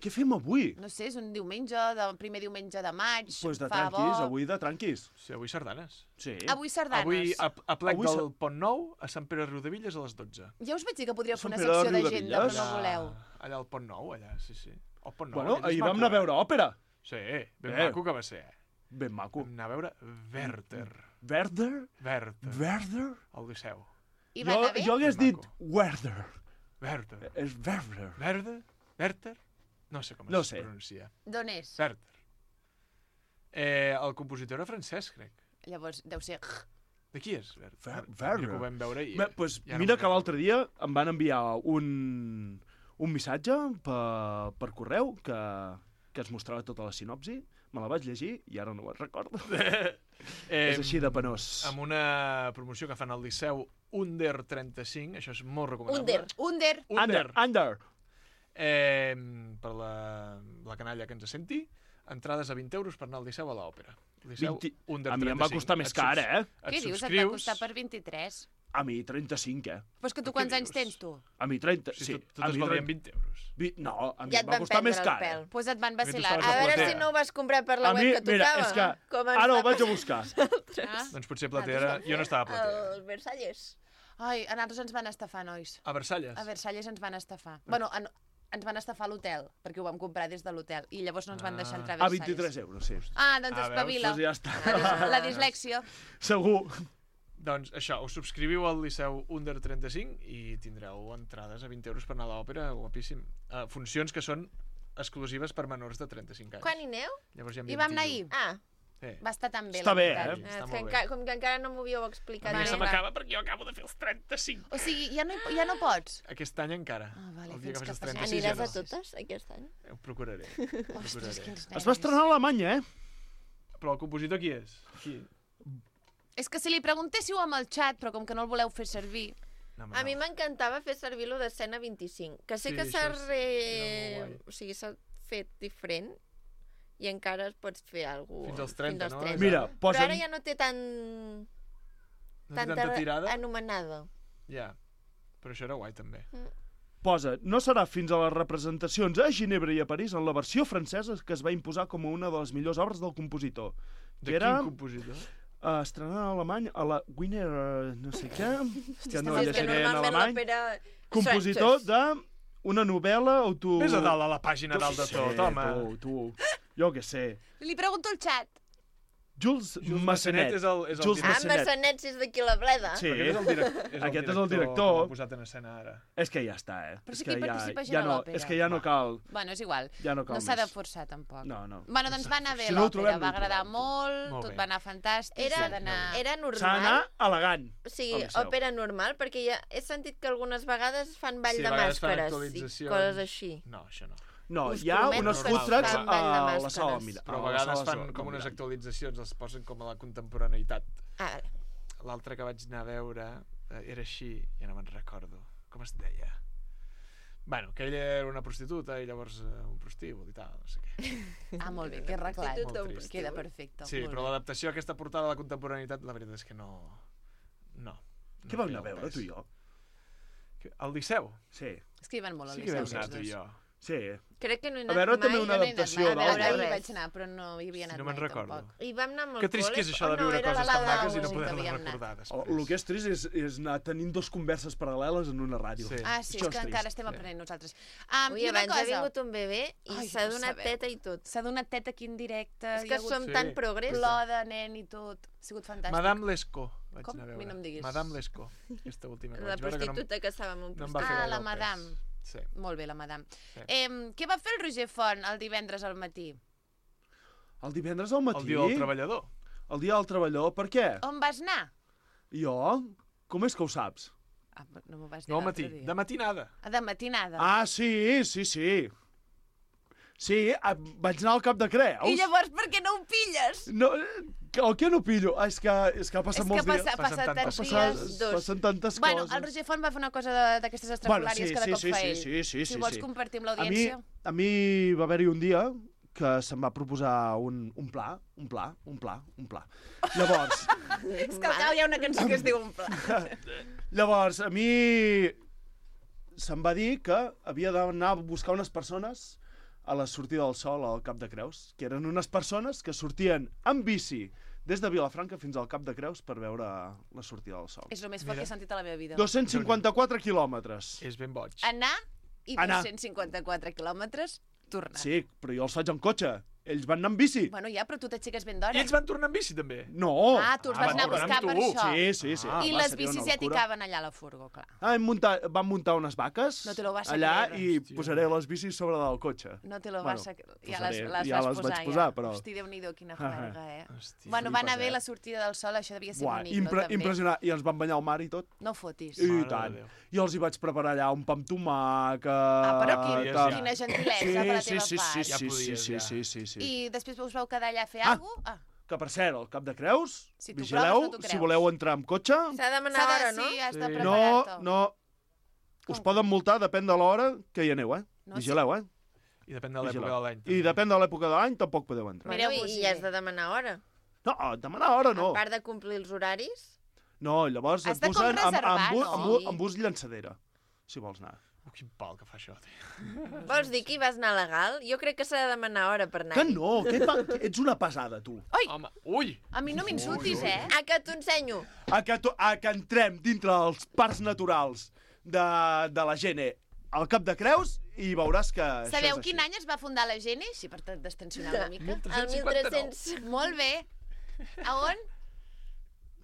Què fem avui? No sé, és un diumenge, de, primer diumenge de maig, Doncs pues de fa tranquis, bo. avui de tranquis. Sí, avui sardanes. Sí. Avui sardanes. Avui, a, a plec Avui del sa- Pont Nou, a Sant Pere Riudevilles a les dotze. Ja us vaig dir que podríeu fer Sant una Pere de secció d'agenda, però Riudevilles? no voleu. Allà al Pont Nou, allà, sí, sí. El Pont Nou. Bueno, allà és ahir vam maco, anar a veure eh? òpera. Sí, ben Eh. maco que va ser. Ben maco. Vam anar a veure Werther. Werther? Werther. Werther? Al Liceu. I va Jo, anar bé? jo hagués Ben dit maco. Werther. Werther. És Werther. Werther? Werther? No sé com No es sé. pronuncia. D'on és? Werther. Eh, el compositor era francès, crec. Llavors, deu ser... De qui és? Werther. Ver- Werther. Que ho vam veure i... Bé, pues, ja no mira me'n que l'altre dia em van enviar un, un missatge per, per correu que, que es mostrava tota la sinopsi. Me la vaig llegir i ara no me'n recordo. Eh, És així de penós. Amb una promoció que fan al Liceu Under trenta-cinc, això és molt recomanable. Under. Under. Under. Under. Eh, per la, la canalla que ens senti, entrades a vint euros per anar al Liceu a l'òpera. Liceu, vint... under A mi em va trenta-cinc. costar més Et car, subs- eh? Què et dius? Et va subscrius. costar per vint-i-tres? A mi trenta-cinc, eh? Però és que tu Què quants anys dius? tens, tu? A mi trenta, Si sí. tot- tot a es mi valia trenta- en vint euros. Vi... No, a mi Ja em et va van costar més prendre el car. pèl. Eh? Doncs et van vacilar. estaves A a veure platea. si no ho vas comprar per la A mi, web que mira, tocava. és que... Com ens Ara ho va vaig a passar buscar. Ah? Doncs potser Platera... Jo no estava a Platera. El Versalles. Ai, a nosaltres ens van estafar, nois. A Versalles? A Versalles ens van estafar. Bueno, en, ens van estafar a l'hotel, perquè ho vam comprar des de l'hotel, i llavors no ens van deixar entrar a A Versalles. vint-i-tres euros, sí. Ah, doncs Ah, veus? espavila. Doncs ja està. La, dis la dislèxia. Segur. Doncs això, us subscriviu al Liceu Under trenta-cinc i tindreu entrades a vint euros per anar a l'òpera, guapíssim. Uh, funcions que són exclusives per menors de trenta-cinc anys. Quan hi aneu? Llavors hi I vam anar ahir. Ah. Sí. Va estar tan bé. Està la bé, veritat. eh? Ah, Està és que molt enca bé. com que encara no m'ho havíeu explicat. A mi Vale, se clar. m'acaba perquè jo acabo de fer els trenta-cinc. O sigui, ja no, hi- ja no pots? Aquest any encara. Ah, vale, El dia fins que que facis passi- trenta-sis Aniràs ja a no. totes aquest any? Ho procuraré. Ostres, procuraré. quins Es va estrenar a Alemanya, eh? Però el compositor qui és? Qui? És que si li preguntéssiu amb el xat, però com que no el voleu fer servir... No, A mi m'encantava fer servir lo d'escena vint-i-cinc, que sé Sí, que s'ha això és- re... era molt guai. o sigui, s'ha fet diferent i encara es pots fer alguna Fins als trenta, fins als no? trenta. Mira, Però posen... ara ja no té tant... No té tanta tirada? anomenada. Ja. Però això era guai, també. Posa, no serà fins a les representacions a Ginebra i a París en la versió francesa que es va imposar com una de les millors obres del compositor. De que era quin compositor? uh, estrenant en alemany a la Wiener uh, no sé què, que no és que llegiré en normalment alemany, l'òpera... compositor de una novel·la auto... Vés a dalt a la pàgina dalt de tot, home. Tu, tu, jo què sé. Li pregunto al xat. Jules, Jules Massenet. Massenet és el- és el Jules director. Ah, Massenet. Massanet, si és d'aquí la bleda. Sí, Aquest és el, direc és el aquest és el director que director. l'ha posat en escena ara. És que ja està, eh? Però és sí que que hi ja, participa gent ja a no, l'òpera. és que ja no cal... Bueno, és igual. Ja no cal No s'ha de més. forçar, tampoc. No, no. Bueno, doncs va anar bé Si no ho l'òpera, trobem, no va ho agradar trobem. molt, Molt tot bé. va anar fantàstic, Era, s'ha d'anar... era S'ha normal. d'anar elegant. O sigui, al Liceu. òpera normal, perquè ja he sentit que algunes vegades fan ball Sí, de a vegades fan màscares i actualitzacions. coses així. No, això no. No, Us hi ha prometo unes que food es trucks fan ball de a la màscares. sala Mira. Però a la vegades sala fan Zo- com unes Mirall. actualitzacions, els posen com a la contemporaneïtat. Ah, vale. L'altre que vaig anar a veure eh, era així, ja no me'n recordo. Com es deia? Bueno, que ella era una prostituta i llavors eh, un prostíbul i tal, no sé què. Ah, molt bé, que arreglat. Molt trist. Queda perfecte. Sí, molt però bé. l'adaptació a aquesta portada de la contemporaneïtat, la veritat és que no... No. Què vam anar a veure, tu i jo? Al Liceu? Sí. És que hi van molt al Sí que Liceu. vam anar, tots tu i dos. jo. Sí. Crec que no he A anat veure, mai. també una Jo no he anat adaptació mai, a veure, d'òpera. ahir vaig anar, però no hi havia anat no me'n mai, recordo. tampoc. I vam anar amb el Que trist que és col·le, això de o no, viure era coses la tan de maques i no Dau, poder-les havíem anat. recordar Oh, després. el que és trist és, és anar tenint dos converses paral·leles en una ràdio. Sí. Ah, sí, Això és que trist. encara estem aprenent nosaltres. Um, Ui, I una abans ha cosa... vingut un bebè i Ai, s'ha no donat sabeu. teta i tot. S'ha donat teta aquí en directe. És hi que ha hagut som Sí. tan progrés. plor de nen i tot. Ha sigut fantàstic. Madame Lescaut vaig Com? anar a A mi veure. no em diguis. Madame Lescaut, aquesta última que La vaig veure que no, em- prostituta que estava amb un no em va fer Ah, gaire la el pes. madame. Sí. Molt bé, la madame. Sí. Eh, què va fer el Roger Font el divendres al matí? El divendres al matí? El dia del treballador. El dia del treballador, per què? On vas anar? Jo? Com és que ho saps? Ah, no m'ho vas dir No al l'altre matí, dia. de matinada. Ah, de matinada. Ah, sí, sí, sí. Sí, ah, vaig anar al Cap de Creus. I llavors per què no ho pilles? No, que- el que no pillo? Ah, és que, és que ha passat És que molts passa, dies. passa Passen tants tantes dies. Passen, Dos. passen tantes Bueno, coses. el Roger Font va fer una cosa de- d'aquestes estrafolàries sí, que de sí, cop sí, fa sí, ell. sí, sí, si sí, vols sí. compartir amb A mi, l'audiència. a mi va haver-hi un dia que se'm va proposar un, un pla, un pla, un pla, un pla. Llavors, És que al cap hi ha una cançó que es diu un pla. llavors a mi se'm va dir que havia d'anar a buscar unes persones a la sortida del sol al Cap de Creus, que eren unes persones que sortien amb bici des de Vilafranca fins al Cap de Creus per veure la sortida del sol. És el més fort Mira. que he sentit a la meva vida. dos-cents cinquanta-quatre quilòmetres. És ben boig. Anar i Anar. dos-cents cinquanta-quatre quilòmetres, tornar. Sí, però jo els faig en cotxe. Ells van anar amb bici. Bueno, ja, però tu t'aixeques ben d'hora. I ells van tornar amb bici, també? No. Ah, tu els vas van anar a tornar buscar amb per tu. això. Sí, sí, sí. Ah, I va, les seria una bicis ja t'hi locura. caben allà a la furgo, clar. Ah, hem muntat, vam muntar unes vaques No te lo vas a allà creure. i Hòstia. posaré les bicis sobre del cotxe. No te lo Bueno, vas a... Ja posaré, les, les ja vas les posar, vaig posar, ja. però- Hosti, Déu-n'hi-do, quina juerga, eh? Hòstia. Bueno, va anar flipes, bé eh? la sortida del sol, això devia ser Buah, bonic, impre no? També. impressionant. I ens vam banyar al mar i tot. No fotis. I Mare de tant. Déu. I els hi vaig preparar allà un pa amb tomàquet... Ah, però quin, ja. quina gentilesa sí, per la sí, teva sí, part. sí, Ja sí, sí, podies, sí, ja. sí, sí, sí. I després us vau quedar allà a fer Ah. alguna cosa? Ah, Que, per cert, al Cap de Creus, Si tu vigileu, proves, no t'ho si creus. voleu entrar amb cotxe... S'ha de demanar s'ha de, hora, no? sí, has de Sí. No, preparar-te. no... Us poden multar, depèn de l'hora que hi aneu, eh? No, Vigileu, eh? I depèn de l'època Vigileu. de l'any. I depèn de l'època de l'any, tampoc podeu entrar. Bueno, i, i has de demanar hora. No, demanar hora no. A part de complir els horaris. No, llavors Has et de com posen amb, reservar, amb, bu- no? amb, bu- amb bus llançadera, si vols anar. Oh, quin pal que fa això, tio. Vols dir que hi vas anar legal? Jo crec que s'ha de demanar hora per anar. Que no, que, pa, que ets una pesada, tu. Ui! Home, ui! A mi no m'insultis, eh? A que t'ho ensenyo. A que, to, a que entrem dintre dels parcs naturals de, de la Gene al Cap de Creus i veuràs que Sabeu això és quin així. any es va fundar la Gene? Sí, per destensionar una mica. El mil tres-cents. Molt bé. A on?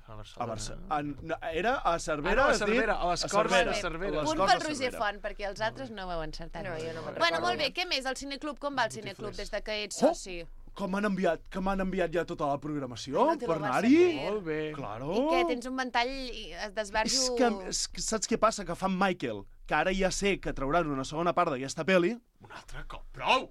A A Barcelona. Barcelona. En, era a Cervera. Ah, no, a has dit? Cervera, a les Corts de Cervera. A les Punt Corts pel de Roger Cervera. Font, perquè els altres no ho heu encertat. No, jo no me'n Bueno, recordo. molt bé, què més? El cineclub, com va el cineclub des de que ets Oh! soci? Com m'han enviat, que m'han enviat ja tota la programació Ai, no te lo per vas a anar-hi? creer. Molt bé. Claro. I què, tens un ventall i es desbarjo... És que, és que saps què passa? Que fan Michael, que ara ja sé que trauran una segona part d'aquesta pel·li. Un altre cop. Prou!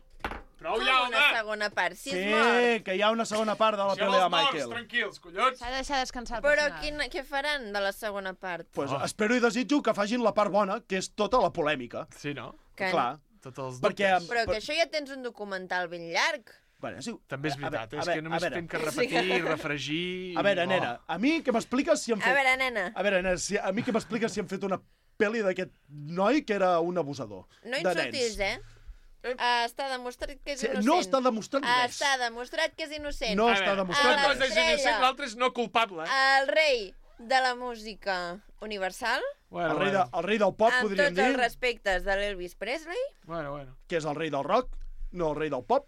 Prou Com ja, una home! segona part? Si Sí, és mort. que hi ha una segona part de la Si pel·li de els morts, Michael. tranquils, collons! S'ha de deixar descansar el Però personal. quin, què faran de la segona part? Pues Oh. espero i desitjo que facin la part bona, que és tota la polèmica. Sí, no? Que Clar. Tots els Perquè... dubtes. Però que això ja tens un documental ben llarg. Bueno, sí. També és A veure, veritat, a és veure, que només a veure. fem que repetir, refregir... A veure, Oh. nena, a mi que m'expliques si han A fet... veure, nena, A veure, nena, si, a mi que m'expliques si han fet una pel·li d'aquest noi que era un abusador. no de insultis, nens. eh? Uh, està demostrat que és Sí, innocent. no està demostrat res. Està demostrat que és innocent. No A està veure, demostrat una cosa és L'estrella. innocent, l'altra és no culpable. El rei de la música universal, Bueno, El rei, de, bueno. el rei del pop, amb podríem tots dir, els respectes de l'Elvis Presley, Bueno, bueno. que és el rei del rock, no el rei del pop,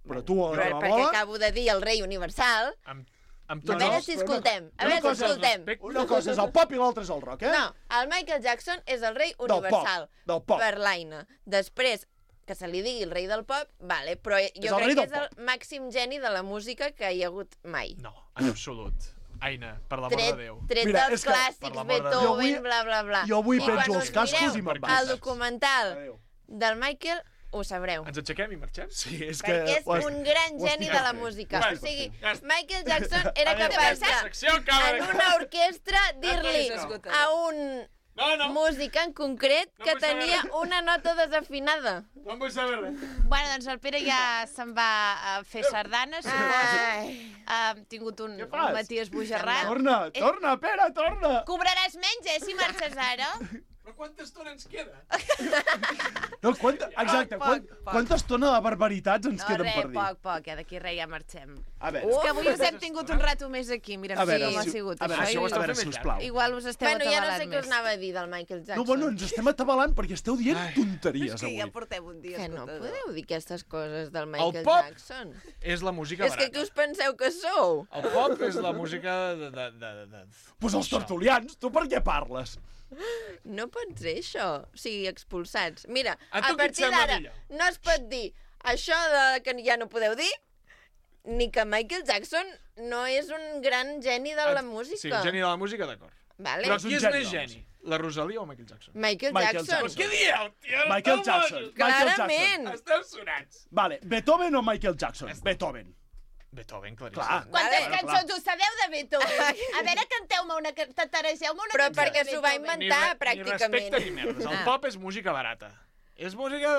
però tu a però la perquè bola... acabo de dir el rei universal, Amb, amb a tots veure els... si però no- escoltem, a una veure si cosa és escoltem. Una cosa és el pop i l'altra és el rock, eh? No, el Michael Jackson és el rei Del pop, universal. del pop. Per l'Aina. Després, que se li digui el rei del pop, vale, però És jo el rei crec que del és el màxim geni de la música que hi ha hagut mai. No, en absolut. Aina, per l'amor Tret, de Déu. tret Mira, dels és que- per clàssics, l'amor de Déu. Jo Beethoven, avui- bla, bla, bla. jo avui I penjo quan els us cascos mireu i me'n vaig. el documental Adéu. del Michael, ho sabreu. Ens aixequem i marxem? Sí, és que... Perquè és ho has- un gran ho estic geni de la fent. música. Ho O estic sigui, fent. Michael Jackson era A veure, capaç La de, secció acaba en de... una orquestra, dir-li No. a un No, no, músic en concret No que vull saber tenia res. una nota desafinada. no em vull saber res. Bueno, doncs el Pere ja se'n va a fer sardanes, suposo. Ai. Ha tingut un, Què fas? un matí esbojarrat. Torna, torna, Pere, torna! Cobraràs menys, eh, si marxes ara? Però quanta estona ens queda? No, quanta, exacte, Poc, quan, poc, poc. quanta estona de barbaritats ens No, queden res, per dir? poc, poc, ja d'aquí res ja marxem. A veure, És que avui us hem tingut un rato més aquí, mira, a no sé veure, com ha si, sigut a veure, això. si, ho a esteu veure, fent més sisplau. Igual us esteu Bueno, ja no atabalant sé què us més. anava a dir del Michael Jackson. No, bueno, ens estem atabalant perquè esteu dient Ai. tonteries És que avui. ja portem un dia Que no escoltador. podeu dir aquestes coses del Michael pop Jackson. És la música És que barata. què us penseu que sou? El pop és la música de... de, de, de... Pues els tertulians, tu per què parles? No pot ser això. O sigui, expulsats. Mira, A a, tu què et partir sembla d'ara millor? no es pot dir això de que ja no podeu dir, ni que Michael Jackson no és un gran geni de la música. Sí, un geni de la música, d'acord. Vale? Però és un Qui és geni, més doncs. geni? La Rosalia o Michael Jackson? Michael, Michael Jackson. Jackson. Què dieu, tio? No Michael te'l Jackson. mojis. Michael Clarament. Jackson. Esteu sonats. Vale, Beethoven o Michael Jackson? Beethoven. Beethoven, claríssim. Clar. Quantes Vale. cançons us sabeu de Beethoven? A veure, canteu-me una, ca- tataregeu-me una Però cançó perquè de s'ho va Beethoven. inventar, Ni, re, ni pràcticament. respecte ni merdes. El Ah. pop és música barata. És música,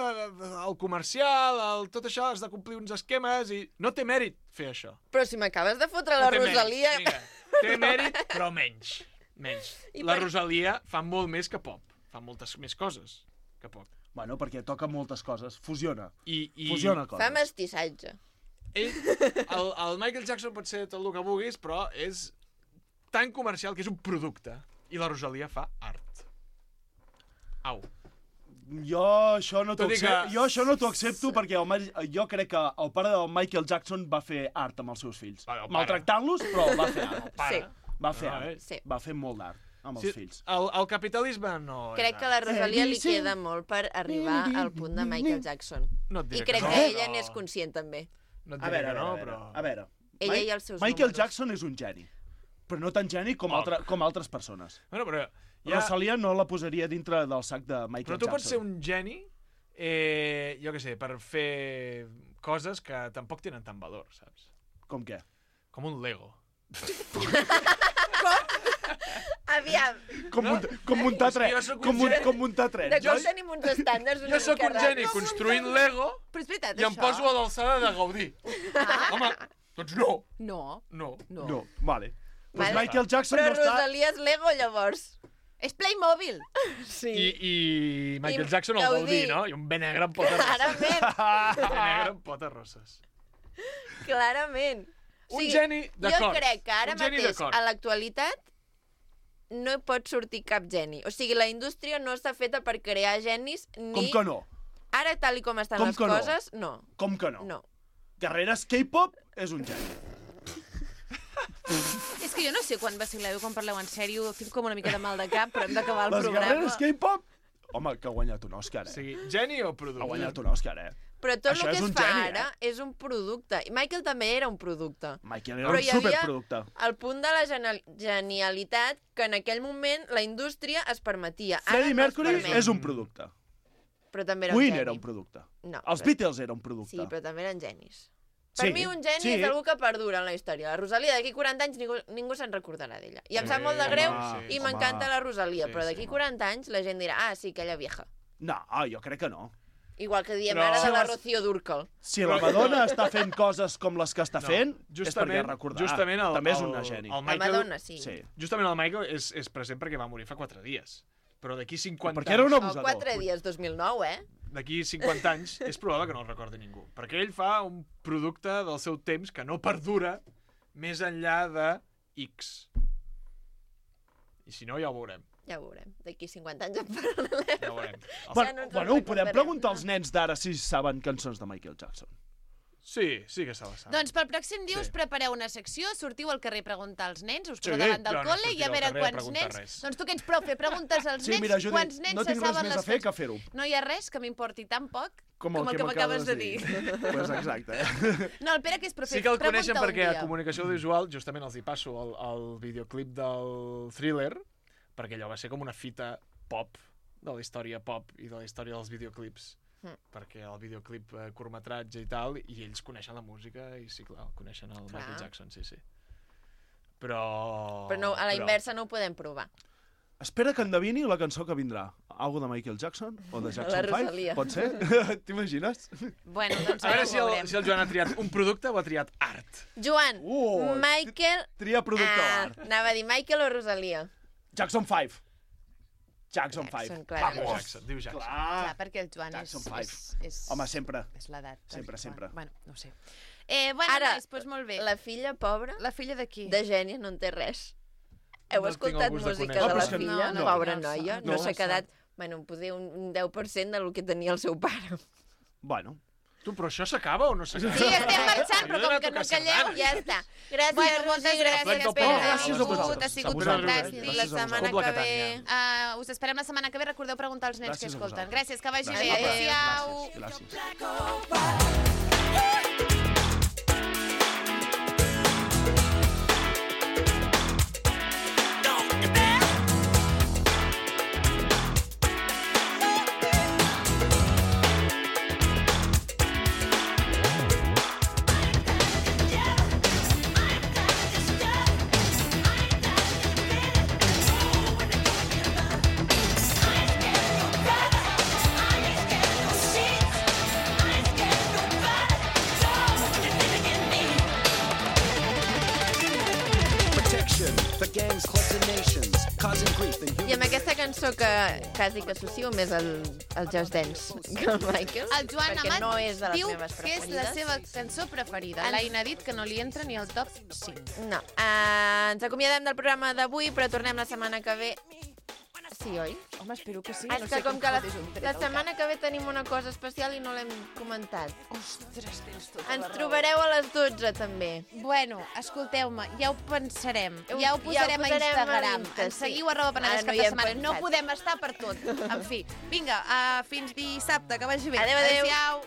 el comercial, el, tot això, has de complir uns esquemes i no té mèrit fer això. Però si m'acabes de fotre No la té mèrit. Rosalia... Vinga, té mèrit, però menys. Menys. I La per- Rosalia fa molt més que pop. Fa moltes més coses que pop. Bueno, perquè toca moltes coses. Fusiona. I, i Fusiona coses. Fa mestissatge. ell, el, el Michael Jackson pot ser tot el que vulguis, però és tan comercial que és un producte. I la Rosalia fa art. Au. Jo això no t'ho Tot i que- accepto, jo això no t'ho accepto perquè el, Ma- jo crec que el pare del Michael Jackson va fer art amb els seus fills. Bueno, el pare. Maltractant-los, però va fer art. Pare. Va fer No, art. eh? Sí. Va fer molt d'art amb Sí, els fills. el, el capitalisme no... és Crec que art. a la Rosalia li sí. queda molt per arribar al punt de Michael Jackson. No et I diré crec no, que ella però- n'és conscient, també. No et A diré veure, a que veure, no, a veure. però... A veure. Ella Mi- i els seus Michael números. Jackson és un geni, però no tan geni com, Poc. altre, com altres persones. Bueno, però... Ja... Rosalia no la posaria dintre del sac de Michael Però tu Jackson. pots ser un geni, eh, jo què sé, per fer coses que tampoc tenen tant valor, saps? Com què? Com un Lego. Aviam. Com, no? munta, com muntar tren. Com, mun, com muntar tren. De com tenim uns estàndards una Jo sóc mica un geni raros. construint Lego Però és veritat, i em això? poso a l'alçada de Gaudí. Ah. Home, doncs no. No. No. No. no. Vale. Pues Vale. Michael Jackson Però no està... Rosalia és Lego, llavors. És Playmobil. Sí. I, i Michael I Jackson el Gaudí. Gaudí, no? I un bé negre amb potes rosses. Clarament. Un bé negre amb potes rosses. Clarament. Un geni d'acord. Jo crec que ara Un geni mateix, d'acord. a l'actualitat, no hi pot sortir cap geni. O sigui, la indústria no està feta per crear genis ni... Com que no? Ara, tal i com estan Com les que no? coses, no. Com que no? No. Guerreres K-pop és un geni. És que jo no sé quan vacileu i quan parleu en sèrio, tinc com una mica de mal de cap, però hem d'acabar el Les programa. guerreres K-pop? Home, que ha guanyat un Òscar, eh? O sigui, geni o producte? Ha guanyat un Òscar, eh? Però tot Això el que és es un fa geni, ara eh? és un producte. I Michael també era un producte. Michael era Però un hi havia superproducte. el punt de la genial- genialitat que en aquell moment la indústria es permetia. Ara Freddie no es Mercury permet. és un producte. Però també era un Queen geni. era un producte. No, Els però- Beatles eren un producte. Sí, però també eren genis. Per Sí, mi un geni sí. és algú que perdura en la història. La Rosalia d'aquí quaranta anys ningú, ningú se'n recordarà d'ella. I em sap Eh, molt de greu home, i home. m'encanta la Rosalia, Sí, però sí, d'aquí quaranta anys la gent dirà ah, sí, aquella vieja. No, jo crec que no. Igual que diem Però- ara de Si la les- Rocío Dúrcal. Si la Madonna està fent coses com les que està No, fent, és justament- perquè recordarà. justament el- També és el- una geni. el Michael- La Madonna, sí. Sí. Justament el Michael és, és present perquè va morir fa quatre dies. Però d'aquí cinquanta Perquè era un anys... abusador. O quatre dies, dos mil nou, eh? D'aquí cinquanta anys és probable que no el recordi ningú. Perquè ell fa un producte del seu temps que no perdura més enllà de X. I si no, ja ho veurem. Ja ho veurem. D'aquí cinquanta anys en parlarem. Ja ho veurem. Bueno, Ja no ens bueno, ho en podem recordarem. preguntar als nens d'ara si saben cançons de Michael Jackson. Sí, sí que se la sap. Doncs pel pròxim dia Sí. us prepareu una secció, sortiu al carrer a preguntar als nens, us Sí, poseu davant del però no col·le i a sortireu al veure carrer a quants preguntar nens... res. Doncs tu que ets profe, preguntes als Sí, nens mira, Judit, quants nens no tinc se res saben més les a fer cançons. que fer-ho. No hi ha res que m'importi tan poc Com com el el que que m'acabes de dir. Pues exacte. Eh? No, el Pere, que és profe, Sí que el pregunta coneixen un perquè a dia. comunicació audiovisual, justament els hi passo el, el videoclip del Thriller, perquè allò va ser com una fita pop, de la història pop i de la història dels videoclips. Mm. Perquè el videoclip eh, curtmetratge i tal, i ells coneixen la música i sí, clar, coneixen el Clar. Michael Jackson, sí, sí. Però... Però no, a la però- inversa no ho podem provar. Espera que endevini la cançó que vindrà. Algo de Michael Jackson o de Jackson La Rosalia. five? Pot ser? T'imagines? Bueno, doncs A veure si el, si el Joan ha triat un producte o ha triat art. Joan, Uh, Michael... Tria producte ah, o art. Anava a dir Michael o Rosalia. Jackson five. Jackson Jackson, five. clarament. Diu Jackson, diu Jackson. Clar. Clar, perquè el Joan Jackson és, five. és, és... Home, sempre. És l'edat. del Sempre, Joan. sempre. Bueno, no ho sé. Eh, bueno, Ara, nois, doncs molt bé. La filla pobra, La filla de qui? de gènia, no en té res. Heu No tinc escoltat el gust de música conèixer. de Ah, però la és que filla? no, no. Pobra No, noia, no, no no s'ha sap. quedat... Bueno, poder un deu per cent del que tenia el seu pare. Bueno. Tu, però això s'acaba o no s'acaba? Sí, estem marxant, però Jo he com d'anar a que no tocar calleu, sardanes. Ja està. Gràcies, Bueno, moltes Rosi, gràcies, Plec del Pere. Pol. Ha Gràcies a sigut, vosaltres. ha sigut A un vosaltres. gràcies. I la Gràcies a setmana Cobla que ve... Catània. Uh, us esperem la setmana que ve. Recordeu preguntar als nens Gràcies que a escolten. vosaltres. Gràcies, que vagi Gràcies. bé. Adéu-siau. Gràcies. Gràcies. Protection for gangs, clubs and nations, causing grief and I amb aquesta cançó que quasi que associo més al, al Just Dance que el Michael, El Joan perquè Amat no és de les diu meves que és preferides. la seva cançó preferida. Ens- L'Aina ha dit que no li entra ni al top cinc. No. Uh, ens acomiadem del programa d'avui, però tornem la setmana que ve. Sí, oi? Home, espero que sí. És no que sé com que la, fotis un tret la al setmana que ve tenim una cosa especial i no l'hem comentat. Ostres, tens tota Ens la raó. trobareu a les dotze, també. Bueno, escolteu-me, ja ho pensarem. Ho- Ja ho posarem, ja ho posarem a a Instagram. Insta, Ens sí. seguiu arroba penedès Ara no cap hi de hem setmana. No pensat. podem estar per tot. En fi, vinga, uh, fins dissabte, que vagi bé. Adéu, adéu. Adéu-siau.